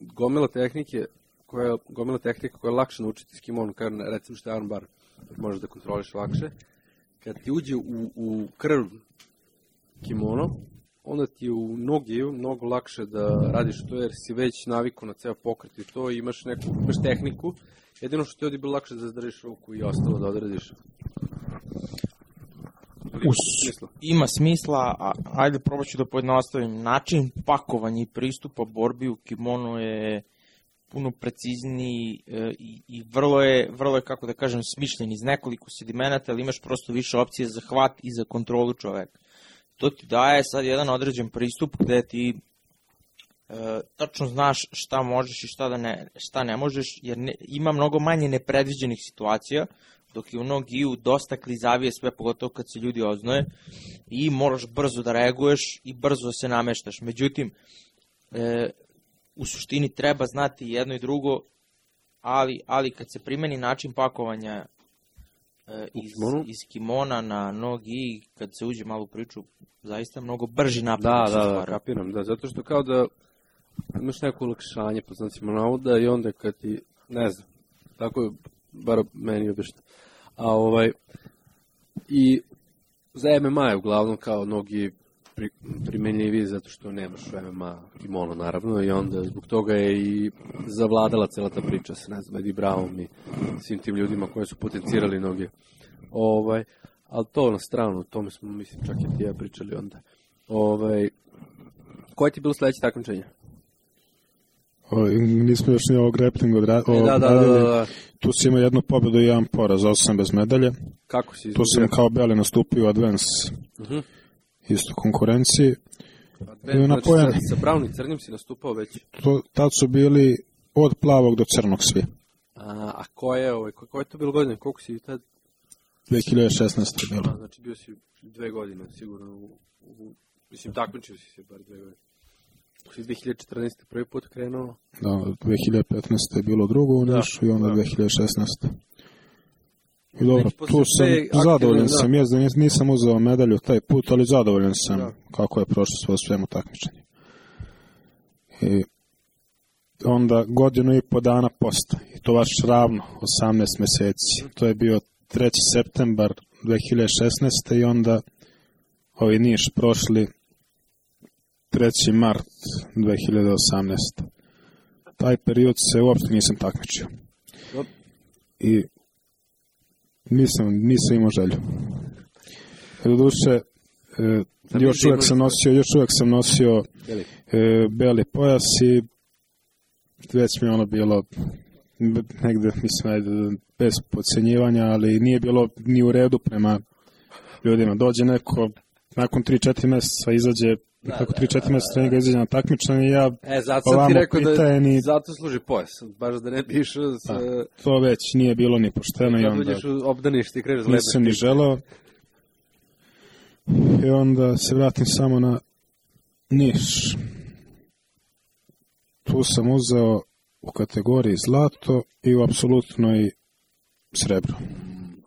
gomila tehnike koja je lakše naučiti s kimonom, kao recimo što je armbar, možeš da kontroliš lakše. Kad ti uđe u krv kimono, onda ti je u nogi mnogo lakše da radiš to, jer si već navikao na ceo pokret i to, imaš tehniku. Jedino što ti ovdje bilo lakše da zadržiš ruku i ostalo da odradiš. Ima smisla, ajde probat ću da pojednostavim. Način pakovanja i pristupa borbi u kimonu je puno precizniji i vrlo je, kako da kažem, smišljen iz nekoliko sedimenata, ali imaš prosto više opcije za hvat i za kontrolu čoveka. To ti daje sad jedan određen pristup gde ti tačno znaš šta možeš i šta ne možeš, jer ima mnogo manje nepredviđenih situacija, dok je u Nogiju dosta klizavije sve, pogotovo kad se ljudi oznoje, i moraš brzo da reaguješ i brzo se nameštaš. Međutim, u suštini treba znati jedno i drugo, ali kad se primeni način pakovanja iz kimona na nogi, kad se uđe malo u priču, zaista mnogo brži napad. Da, kapiram, da, zato što kao da imaš neko olakšanje, po znacima navoda, i onda kad ti, ne znam, tako je, bar meni obično. I za MMA je uglavnom kao nogi primenljiviji zato što nemaš u MMA kimono, naravno, i onda zbog toga je i zavladala cela ta priča sa, ne znam, Eddie Brownom i svim tim ljudima koji su potencirali noge. Ali to na stranu, o tome smo, mislim, čak i ti ja pričali onda. Koje ti je bilo sledeće takmičenje? Nismo još ni ovo grappling odradili. Da. Tu si imao jednu pobedu i jedan poraz, 8 bez medalje. Kako si izgubio? Tu sam kao Beli nastupio u Advance isto konkurenciji. Znači, sa Brownom i Crnim si nastupao već? Tad su bili od plavog do crnog svi. A koje je to bilo godine? Koliko si tad? 2016. je bilo. Znači bio si 2 godine sigurno. Mislim, takmičio si se bar 2 godine. Si 2014. prvi put krenuo? Da, 2015. je bilo drugo u Nišu i onda 2016. I dobro, tu sam zadovoljan sam, nisam uzeo medalju taj put, ali zadovoljan sam kako je prošlo sve svemu takmičenje. I onda godinu i po dana posta, i to baš ravno, 18 meseci. To je bio 3. septembar 2016. i onda ovi Niš prošli 3. mart 2018. Taj period se uopšte nisam takmičio. I nisam imao želju. Doduše, još uvek sam nosio beli pojas i već mi ono bilo negde, mislim, bez podcenjivanja, ali nije bilo ni u redu prema ljudima. Dođe neko, nakon 3-4 meseca izađe, nakon 3-4 meseca treninga izađe na takmičenje, ja zato sam ti rekao da zato služi pojas, baš da ne bi išao to već nije bilo ni pošteno i onda obdaniš, nisam ni želeo. I onda se vratim samo na Niš. Tu sam uzeo u kategoriji zlato i u apsolutnoj srebro.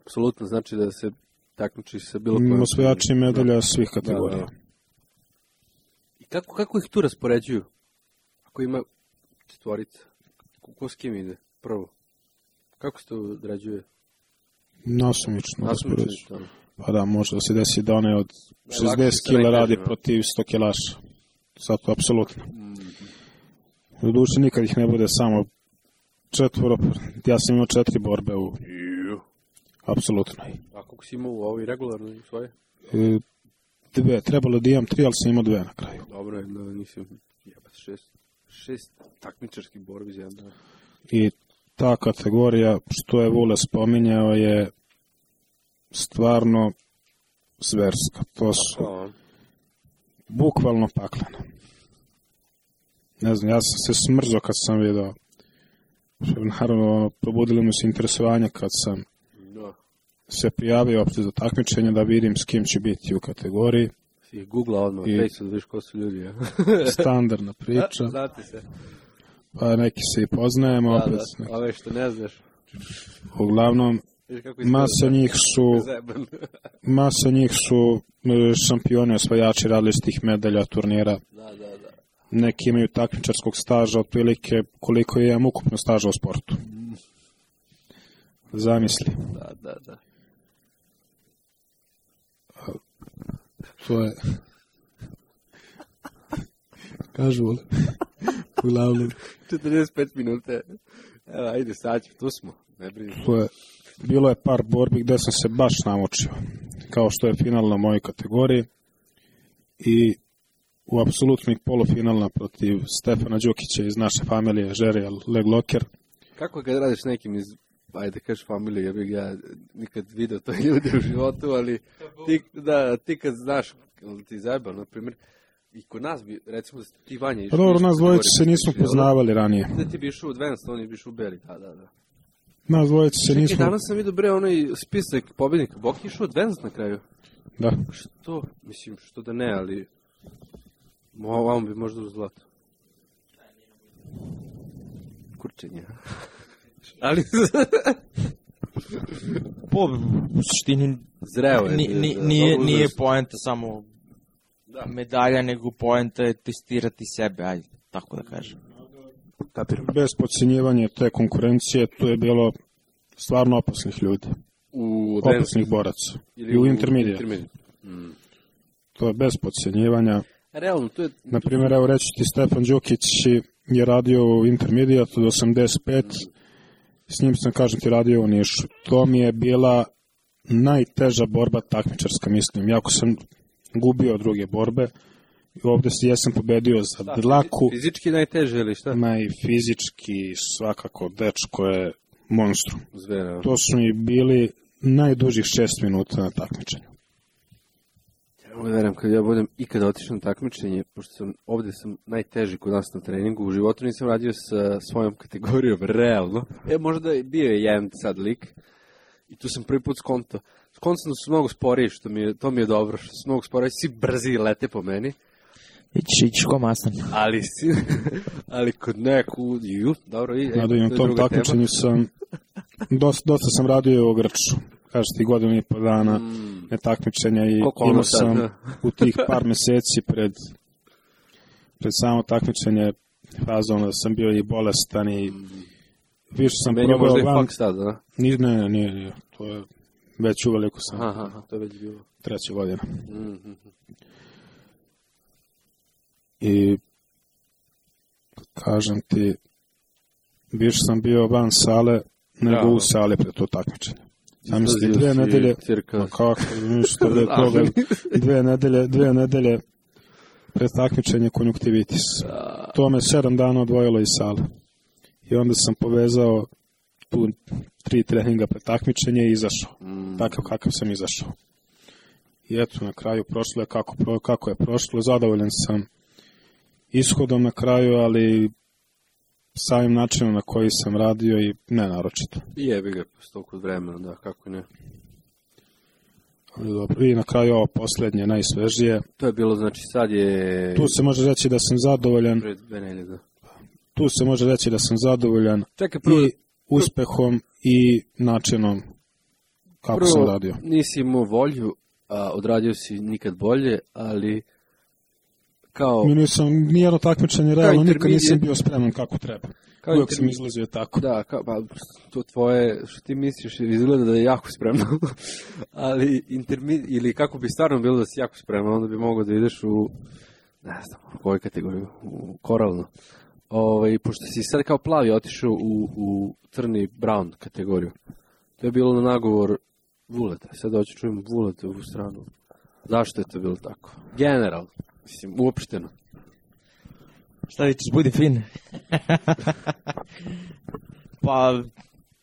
Apsolutno znači da se takmiči sa bilo kojom osvajači medalja svih kategorija. I kako ih tu raspoređuju? Ako ima četvorica, ko s kim ide prvo? Kako se to odrađuje? Nasumično raspoređuju. Pa da, može da se desi da one od 60 kila radi protiv 100 kilaša. Zato apsolutno. U duši nikad ih ne bude samo 4. Ja sam imao 4 borbe u apsolutno. A koliko si imao u ovoj regularnoj svoje? 2, trebalo da imam 3, ali sam imao 2 na kraju. Dobro, nisam jebat 6 takmičarskih borbi za jedno. I ta kategorija, što je Vule spominjao, je stvarno zverska. To su bukvalno paklene. Ne znam, ja sam se smrzao kad sam vidio. Naravno, probudili mu se interesovanje kad sam se prijavio opšte za takmičenje da vidim s kim će biti u kategoriji. Si googla odmah, Fejsu, da viš ko su ljudi, ja? Standardna priča. Znate se. Pa neki se i poznajemo. Da, ove što ne znaš. Uglavnom, masa njih su šampioni, osvajači različitih medalja, turnira. Da. Neki imaju takmičarskog staža, otprilike koliko je ukupno staža u sportu. Zamisli. Da. To je... Kažu, uglavnom. 45 minuta. Evo, ajde, sad tu smo. Ne brini. Bilo je par borbi gde sam se baš namučio. Kao što je final na mojoj kategoriji. I u apsolutnih polufinalna protiv Stefana Đukića iz naše familije, Žerija Legloker. Kako kad radiš nekim iz, ajde kažeš familije, ja bih ja nikad vidio to ljude u životu, ali ti kad znaš, ti zajebao, na primjer, i kod nas bi, recimo da ti Vanja išao... Pa dobro, nas dvojice se nismo poznavali ranije. Da ti bi išao u Advanced, on je bi išao u Beli, da. Nas dvojice se nismo... Čekaj, danas sam vidio bre onaj spisak pobjednika, Boki išao u Advanced na kraju. Da. Što? Mislim, što da ne, ali... Ovom bi možda u zlato. Kurčenje. Ali... U suštini Zreo je. Nije poenta samo medalja, nego poenta je testirati sebe, ajde, tako da kažem. Bez podcjenjivanja te konkurencije, tu je bilo stvarno opasnih ljudi. Opasnih boraca. I u intermedijatu. To je bez podcjenjivanja. Realno, to je... Naprimjer, evo reći ti, Stefan Đukić je radio u intermedijatu do 85, s njim sam, kažem ti, radio u Nišu. To mi je bila najteža borba takmičarska, mislim. Jako sam gubio druge borbe. Ovde jesam pobedio za dlaku. Fizički najteže ili šta? Fizički, svakako, dečko je monstrum. Zvera. To su mi bili najdužih 6 minuta na takmičenju. Ja verujem, kad ja budem ikada otišao na takmičenje, pošto ovde sam najteži kod nas na treningu, u životu nisam radio sa svojom kategorijom, realno. Možda je bio jedan sad lik, i tu sam prvi put skonto. Skonto su mnogo sporiji, to mi je dobro, što su mnogo sporiji, svi brzi lete po meni. Ići ko mastan. Ali kod neku, dobro, na tom takmičenju sam, dosta sam radio u Grču. Kažete ti godinu i po dana netakmičenja i imao sam u tih par meseci pred samo takmičenje fazom da sam bio i bolestan i više sam probao van. Možda i faks tada, da? Nije, to je već uveliko sam. Aha, to je već bilo. 3. godina. I kažem ti, više sam bio van sale nego u sale pred to takmičenje. Zamisli, 2 nedelje, kako, što da je toga, 2 nedelje pred takmičenje konjuktivitis. To me 7 dana odvojilo iz sale. I onda sam povezao tu 3 treninga pred takmičenje i izašao. Takav kakav sam izašao. I eto, na kraju prošlo je kako je prošlo. Zadovoljan sam ishodom na kraju, ali samim načinom na koji sam radio i ne naročito. I jebi ga toliko vremena, da, kako ne. Dobro, i na kraju ovo posljednje, najsvežije. To je bilo, znači sad je... Tu se može reći da sam zadovoljan. Tu se može reći da sam zadovoljan i uspehom i načinom kako sam radio. Nisi imao volju, a odradio si nikad bolje, ali kao... Nijedno takmičenje realno, nikad nisam bio spreman kako treba. Uvijek sam izlazio tako. Da, to tvoje, što ti misliš, izgleda da je jako spremno. Ali ili kako bi stvarno bilo da si jako spreman, onda bi mogao da ideš u, ne znam, u koju kategoriju, u koralnu. Pošto si sad kao plavi otišao u crni brown kategoriju. To je bilo na nagovor Vuleta. Sad hoću čujem Vuleta u stranu. Zašto je to bilo tako? General, mislim, uopšteno. Šta vičeš, budi fin. Pa...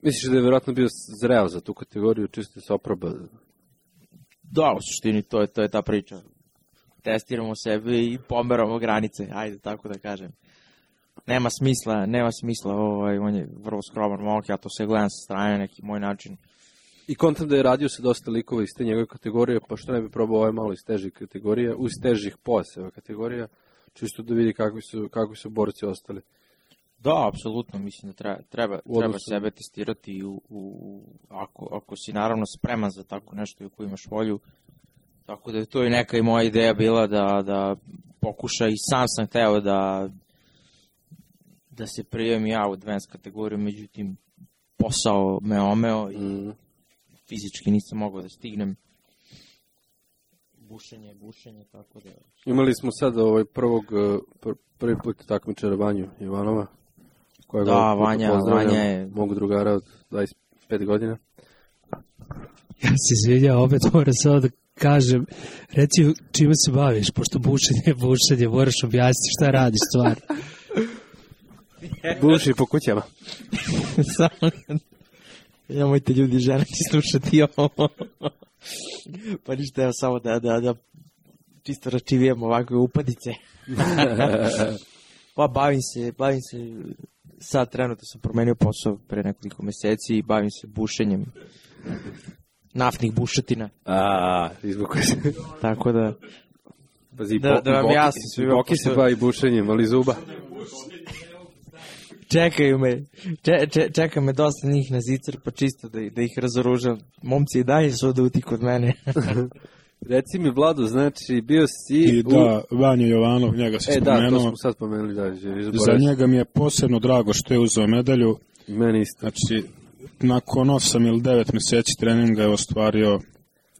Misliš da je vjerojatno bio zreo za tu kategoriju, čisto se oproba? Da, u suštini to je ta priča. Testiramo sebe i pomeramo granice, ajde tako da kažem. Nema smisla, on je vrlo skroman momak, ja to sve gledam sa strane, neki moj način. I kontam da je radio sa dosta likova iz te njegove kategorije, pa što ne bi probao ovaj malo iz težih kategorija, iz težih pojaseva kategorija, čisto da vidi kakvi su borci ostali. Da, apsolutno, mislim da treba sebe testirati ako si naravno spreman za tako nešto i ako imaš volju. Tako da je to i neka i moja ideja bila da pokuša i sam hteo da se prijavim ja u advanced kategoriju, međutim posao me omeo i fizički nisam mogao da stignem. Bušenje, tako da... Imali smo sad prvi put takmičara Vanju Ivanova. Da, Vanja je... Mogu drugara od 25 godina. Ja se izvinjam, opet moram samo da kažem, reci čime se baviš, pošto bušenje, moraš objasniti šta radiš stvar. Buši po kućama. Samo, nemojte ljudi žene slušati ovo. Pa ništa, evo samo da čisto račivijem ovakve upadice. Pa bavim se, sad trenutno sam promenio posao pre nekoliko meseci i bavim se bušenjem naftnih bušotina. Izbukuje se. Tako da... Pazi, da vam jasno svima. Boki se bavi bušenjem, ali zuba. Čekaju me, čeka me dosta njih na zicer, pa čisto da ih razoružam. Momci i dalje su oduti kod mene. Reci mi, Vlado, znači, bio si... I da, Vanja Jovanov, njega si spomenuo. Da, to smo sad pomenuli, da. Za njega mi je posebno drago što je uzeo medalju. Meni isto. Znači, nakon 8 ili 9 meseci treninga je ostvario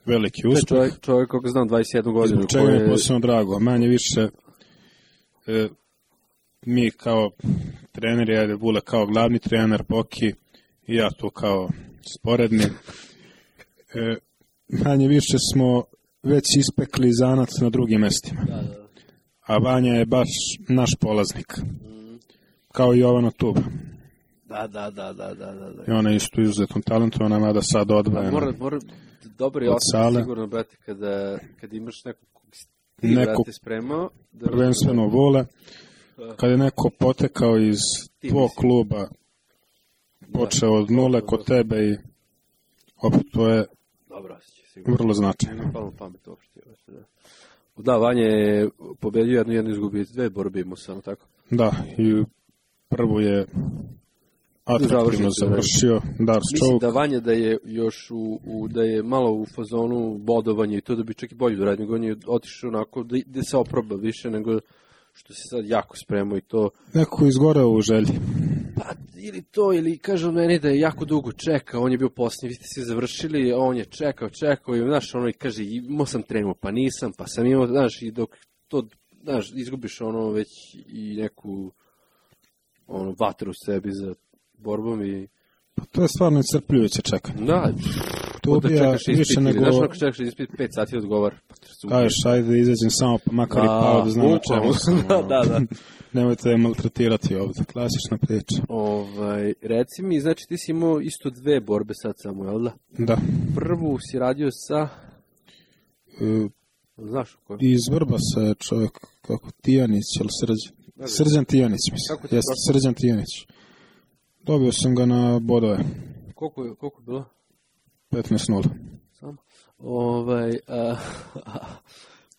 veliki uspeh. Čovjek, kako znam, 21 godinu. Zbog čega mi je posebno drago. Manje više, mi kao treneri, ajde Vule kao glavni trener, Boki i ja tu kao sporedni, manje više smo već ispekli zanac na drugim mestima. Da. A Vanja je baš naš polaznik. Kao i Jovana Tuba. Da. I ona je isto izuzetno talentovana, mada sad odvajena. Mora dobro je osjećaj sigurno, brate, kad imaš neko spremao. Prvenstveno Vole, kad je neko potekao iz tvog kluba, počeo od nule kod tebe i opet to je vrlo značajno. Pamet uopšte. Da, Vanja je pobedio jednu izgubio, 2 borbe imao samo tako. Da, i prvu je atraktivno završio Dars Čovuk. Mislim da Vanja da je još da je malo u fazonu bodovanja i to da bi čak i bolje doradio, nego on je otišao onako da se oproba više nego što se sad jako spremao i to. Neko izgoreo u želji. Pa ili to, ili kaže meni da je jako dugo čekao, on je bio posljednji, vi ste se završili, a on je čekao i znaš, ono i kaže imao sam trenuo, pa nisam, pa sam imao, znaš, i dok to, znaš, izgubiš ono već i neku vatru u sebi za borbom i... Pa to je stvarno iscrpljujuće čekanje. Da, to bija više nego... Znaš, ako čekaš ispit 5 sati odgovara. Kažeš, ajde izađem samo pa makar i pao da znam o čemu sam. Da. Nemojte je maltretirati ovdje, klasična priča. Reci mi, znači ti si imao isto 2 borbe sad samo, jel da? Da. Prvu si radio sa... Znaš u kojem? Iz Vrbasa je čovjek, kako Tijanić, ili Srđan Tijanić, mislim. Jeste, Srđan Tijanić. Dobio sam ga na bodove. Koliko je bilo? 15-0. Samo?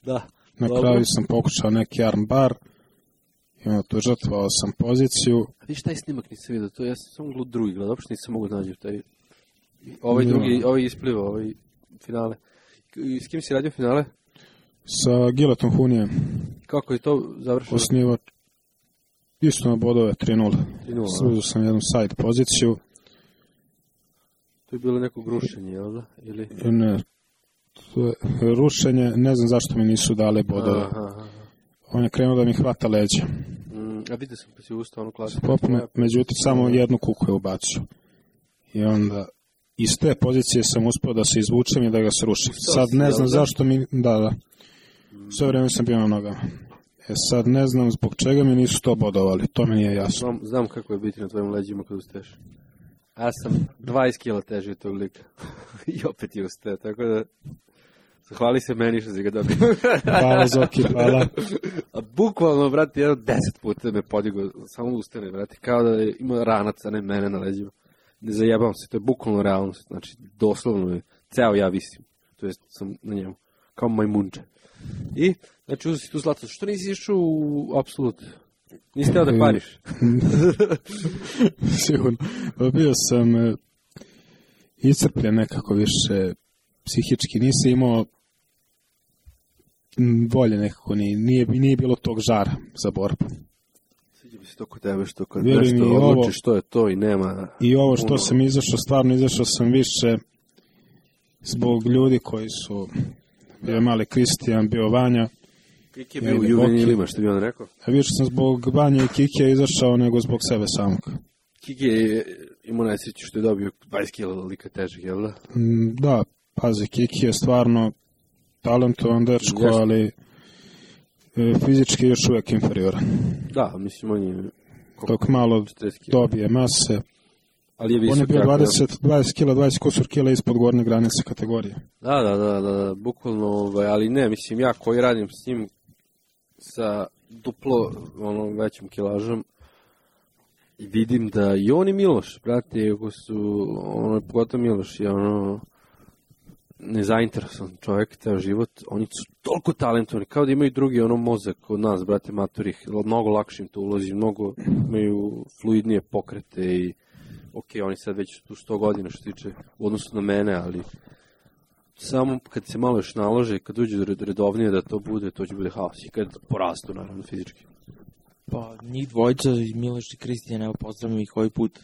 Da. Na kraju sam pokušao neki armbar i onda tu žrtvovao sam poziciju. A viš taj snimak nisam vidio, to ja sam samo drugi gledao, uopšte nisam mogu nađi taj... Ovaj isplivao, ovaj finale. I s kim si radio finale? Sa Giletom Hunijem. Kako je to završeno? Osnivač. Isto na bodove 3-0. Sružio sam jednu side poziciju. To je bilo neko rušenje, jel da? Ili... Ne. To je rušenje, ne znam zašto mi nisu dali bodove. On je krenuo da mi hvata leđa. A vidio sam pa si ustao onu klasu. Međutim, samo jednu kuku je ubacio. I onda iz te pozicije sam uspio da se izvučem i da ga srušim. Sad ne znam zašto mi... Da. Sve vrijeme sam bio na nogama. Sad ne znam zbog čega mi nisu to bodovali. To mi nije jasno. Znam kako je biti na tvojim leđima kad ustaješ. Ja sam 20 kila teži od tog lika. I opet je ustao, tako da... Zahvali se meni što si ga dobio. Hvala, Zoki, hvala. A bukvalno, brate, 10 puta me podigao, samo ustane, brate, kao da ima ranac, a ne mene na leđima. Ne zajebavam se, to je bukvalno realnost, znači, doslovno je, ceo ja visim, to jest sam na njemu, kao majmunče. I, znači, uzeo si tu zlato, što nisi išao u apsolut? Nisi teo da kvariš? Sigurno, bio sam iscrpljen nekako više, psihički, nisam imao volje nekako, nije bilo tog žara za borbu. Sviđa mi se to kod tebe što kad nešto odlučiš što je to i nema... I ovo što sam izašao, stvarno izašao sam više zbog ljudi koji su, bio je mali Kristijan, bio Vanja. Kiki je bio u Juveni Lima, što bi on rekao? A više sam zbog Vanja i Kike izašao nego zbog sebe samog. Kiki je imao najsreću što je dobio 20 kila lika težih, jel da? Da, pazi, Kiki je stvarno talentovan dečko, Jeste. ali fizički je još uvijek inferioran. Da, mislim, on je... Dok malo 40 kila. dobije mase, Ali je visok. on je bio jako. 20 kila, 20 kusur kila ispod gornje granice kategorije. Da, bukvalno, ali ne, mislim, ja koji radim s njim sa duplo većim kilažom, i vidim da i on i Miloš, brate, ako su, pogotovo Miloš je nezainteresovan čovjek, ceo život, oni su toliko talentovani, kao da imaju drugi mozak od nas, brate, maturih, mnogo lakše im to ulazi, mnogo imaju fluidnije pokrete i oni sad već tu 100 godina što tiče u odnosu na mene, ali samo kad se malo još nalože, kad uđe redovnije da to bude, to će bude haos i kad porastu, naravno, fizički. Pa, njih dvojica, Miloš i Kristijan, evo pozdravim ih ovaj put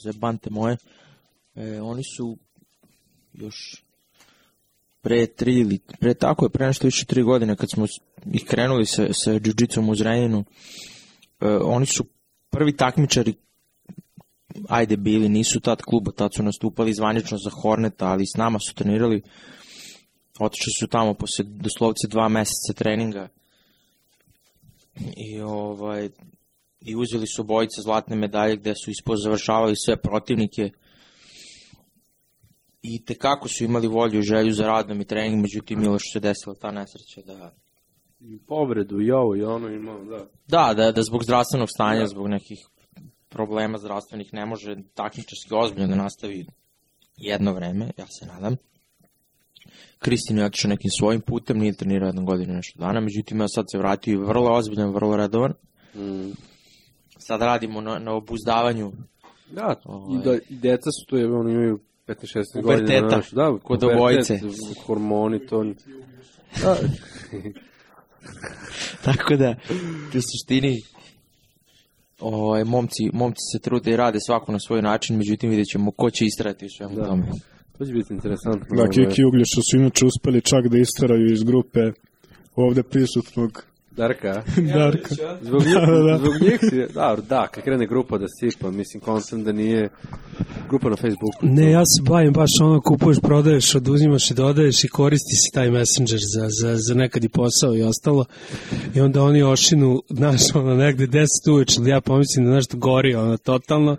za bante moje. Oni su još pre nešto više 3 godine kad smo ih krenuli sa jiu-jitsom u Zrenjaninu, oni su prvi takmičari, ajde bili, nisu tad kluba, tad su nastupali zvanično za Horneta, ali s nama su trenirali, otišli su tamo posle doslovce 2 meseca treninga i uzeli su obojice zlatne medalje gde su ispozavršavali sve protivnike i tekako su imali volju i želju za radom i trening, međutim Miloš se desila ta nesreća da... I povredu i ovo i ono imao, da. Da zbog zdravstvenog stanja, zbog nekih problema zdravstvenih ne može takmičarski ozbiljno da nastavi jedno vreme, ja se nadam. Kristin je otišao nekim svojim putem, nije trenirao 1 godinu nešto dana, međutim ja sad se vratio i vrlo ozbiljan, vrlo redovan. Sad radimo na obuzdavanju. Da, i deca su to, oni imaju 15-16 godina. Puberteta, kod obojice. Hormoni, to... Da. Tako da, u suštini, momci se trude i rade svako na svoj način, međutim vidjet ćemo ko će istrajati u svemu tome. To će biti interesantno. Da, Kiki i Uglješa su inače uspeli čak da isteraju iz grupe ovde prisutnog Darka. Zbog njih si... Da, kad krene grupa da sipa, mislim, konstant da nije grupa na Facebooku. Ne, ja se bavim baš kupuješ, prodaješ, oduzimaš i dodaješ i koristi se taj Messenger za nekad i posao i ostalo. I onda oni ošinu, znaš, negde 10 uveče, ja pomislim da nešto gori, totalno.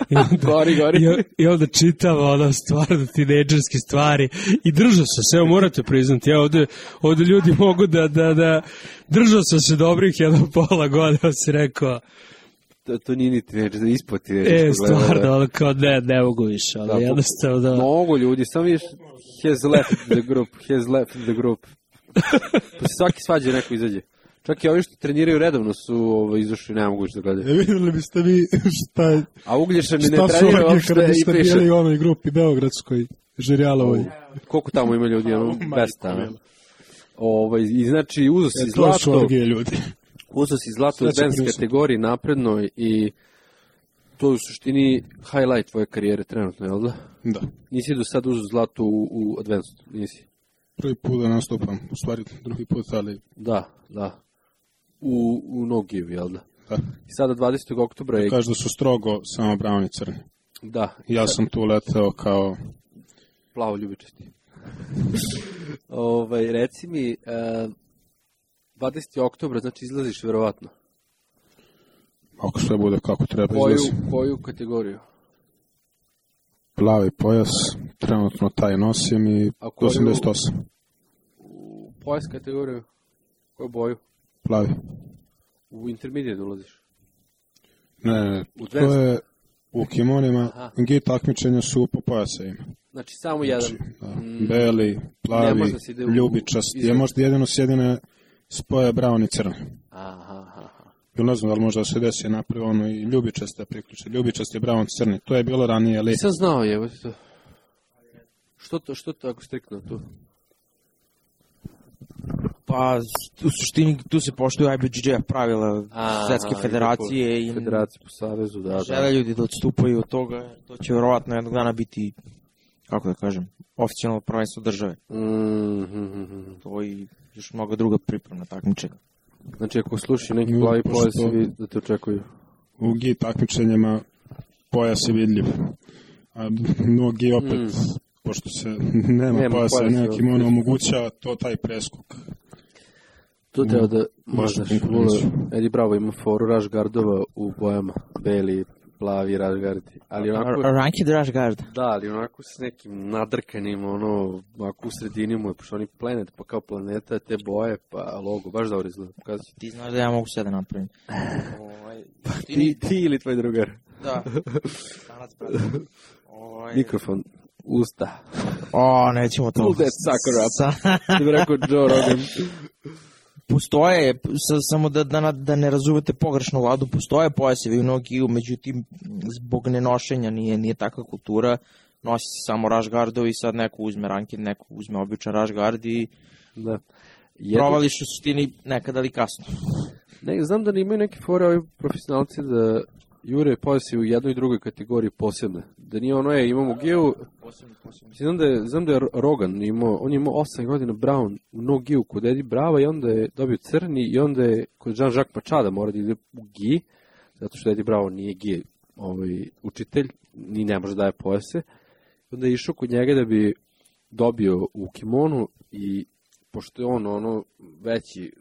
I onda, Gori. I onda čitava, stvarno tinejdžerske stvari. I držao sam se, evo morate priznati, ovde ljudi mogu da držao sam se dobrih 1,5 godina, si rekao. To nije ni tinejdžer, ispod tinejdžer. Stvarno, kao ne mogu više, jednostavno da... Mnogo ljudi, samo viš, has left the group. Pa se svaki svađa neko izađe. Čak i ovi što treniraju redovno su izašli, ne mogu više da gledaju. Vidjeli biste vi šta... A Uglješa mi ne trenira uopšte i piše. Šta su bili u onoj grupi Beogradskoj, Žirjalovoj? Koliko tamo ima ljudi, 200, i znači uzo si zlato... To su orgije ljudi. Uzo si zlato u advanced kategoriji naprednoj i to je u suštini highlight tvoje karijere trenutno, jel da? Da. Nisi do sad uzo zlato u advanced, nisi? Prvi put da nastupam, u stvari drugi put, ali... Da. U no give, jel da? Da. I sada 20. oktobra je... Kažu da su strogo samo brown i crni. Da. Ja sam tu leteo kao... Plavo ljubičasti. Reci mi, 20. oktobra, znači izlaziš verovatno. Ako sve bude kako treba izlazim. Koju kategoriju? Plavi pojas, trenutno taj nosim i 88. U pojas kategoriju? Koju boju? Plavi. U intermediate ulaziš? Ne, to je u kimonima, gi takmičenja su po pojasevima. Znači samo jedan. Beli, plavi, ljubičasti. Možda jedino sjedine spoje brown i crni. Bilo ne znam da li možda se desi napravi i ljubičaste priključe. Ljubičasti je brown crni. To je bilo ranije, ali... Nisam znao, evo ti to. Što to ako striktno tu? Pa, u suštini tu se poštuju IBJJ pravila Svetske federacije i Federacije po savezu, da. Žele ljudi da odstupaju od toga, to će verovatno jednog dana biti, kako da kažem, oficijalno prvenstvo države. To i još mnogo druga pripremna takmičenja. Znači, ako sluši neki plavi pojas, da te očekuju? U gi takmičenjima pojas je vidljiv. A mnogi opet pošto se nema pojasa nekim, ono omogućava to taj preskok. Tu treba da možda Eddie Bravo ima foru rash guardova u bojama, beli, plavi rash guardi, ali onako... Ranked rash guard. Da, ali onako s nekim nadrkanim, ono, ovako u sredini mu je, pošto oni planet, pa kao planeta, te boje, pa logo, baš dobro izgleda. Ti znaš da ja mogu sve da napravim. Ti ili tvoj drugar? Da. Stanac, brate. Mikrofon, usta. Nećemo to. Pull that sucker up. Da bi rekao Joe Rogan. Postoje, samo da ne razumete pogrešno Vladu, postoje pojasevi u nogiju, međutim, zbog nenošenja nije takva kultura, nosi se samo rash guardovi i sad neko uzme ranked, neko uzme običan rash guard i provališ u suštini nekada ali kasno. Ne, znam da ne imaju neke fore ovi profesionalci da jure pojasi u jednoj i drugoj kategoriji posebne. Da nije ono imamo giju... Znam da je Rogan imao, on je imao 8 godina Brown u no giju kod Eddie Brava i onda je dobio crni i onda je kod Jean-Jacques Machada mora da ide u gi, zato što Eddie Bravo nije gi učitelj, ni ne može daje pojase. Onda je išao kod njega da bi dobio u kimonu i pošto je on veći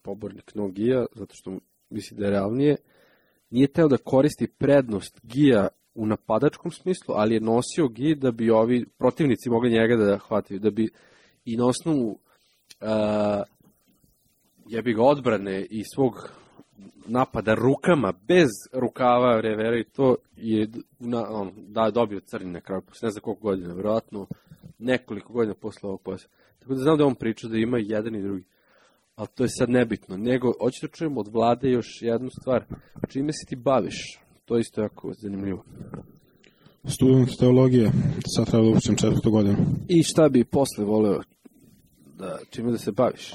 pobornik no gija, zato što misli da je realnije, nije teo da koristi prednost gija u napadačkom smislu, ali je nosio gi da bi ovi protivnici mogli njega da hvataju, da bi i na osnovu jebi ga odbrane i svog napada rukama, bez rukava revera i to je dobio crni na kraju, ne znam koliko godina, verovatno nekoliko godina posle ovog pojasa. Tako da znam da on priča da ima jedan i drugi. Ali to je sad nebitno. Nego, hoću da čujem od Vlade još jednu stvar. Čime se ti baviš? To je isto jako zanimljivo. Student teologije. Sad treba da učim 4. godinu. I šta bi posle voleo? Čime da se baviš?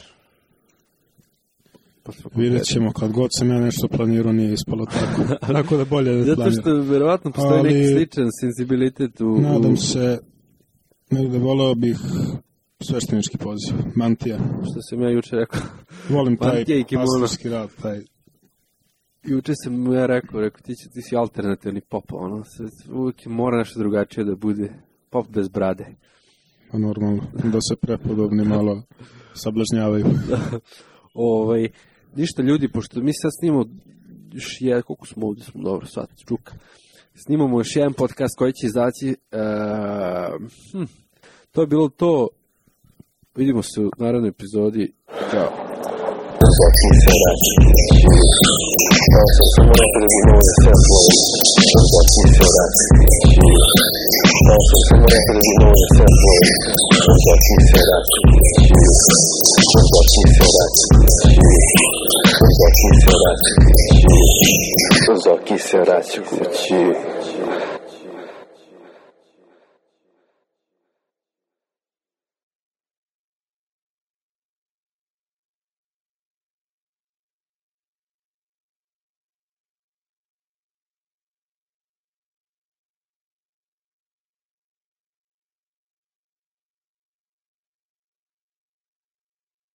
Vidjet ćemo, kad god sam ja nešto planirao, nije ispalo tako. Tako da bolje da planiram. Zato što verovatno postoji neki sličan sensibilitet u... Nadam se, negde voleo bih sveštenički poziv, mantija. Što sam ja juče rekao. Volim taj pastorski rad, taj... Juče sam ja rekao, ti si alternativni pop, uvijek mora nešto drugačije da bude pop bez brade. Pa normalno, da se prepodobni malo sablažnjavaju. Ništa ljudi, pošto mi sad snimamo još koliko smo ovdje, smo dobro, sad čuka. Snimamo još jedan podcast koji će izaći. To je bilo to. Vidimo se u narednoj epizodi. Ćao. Zoki se vraća kući.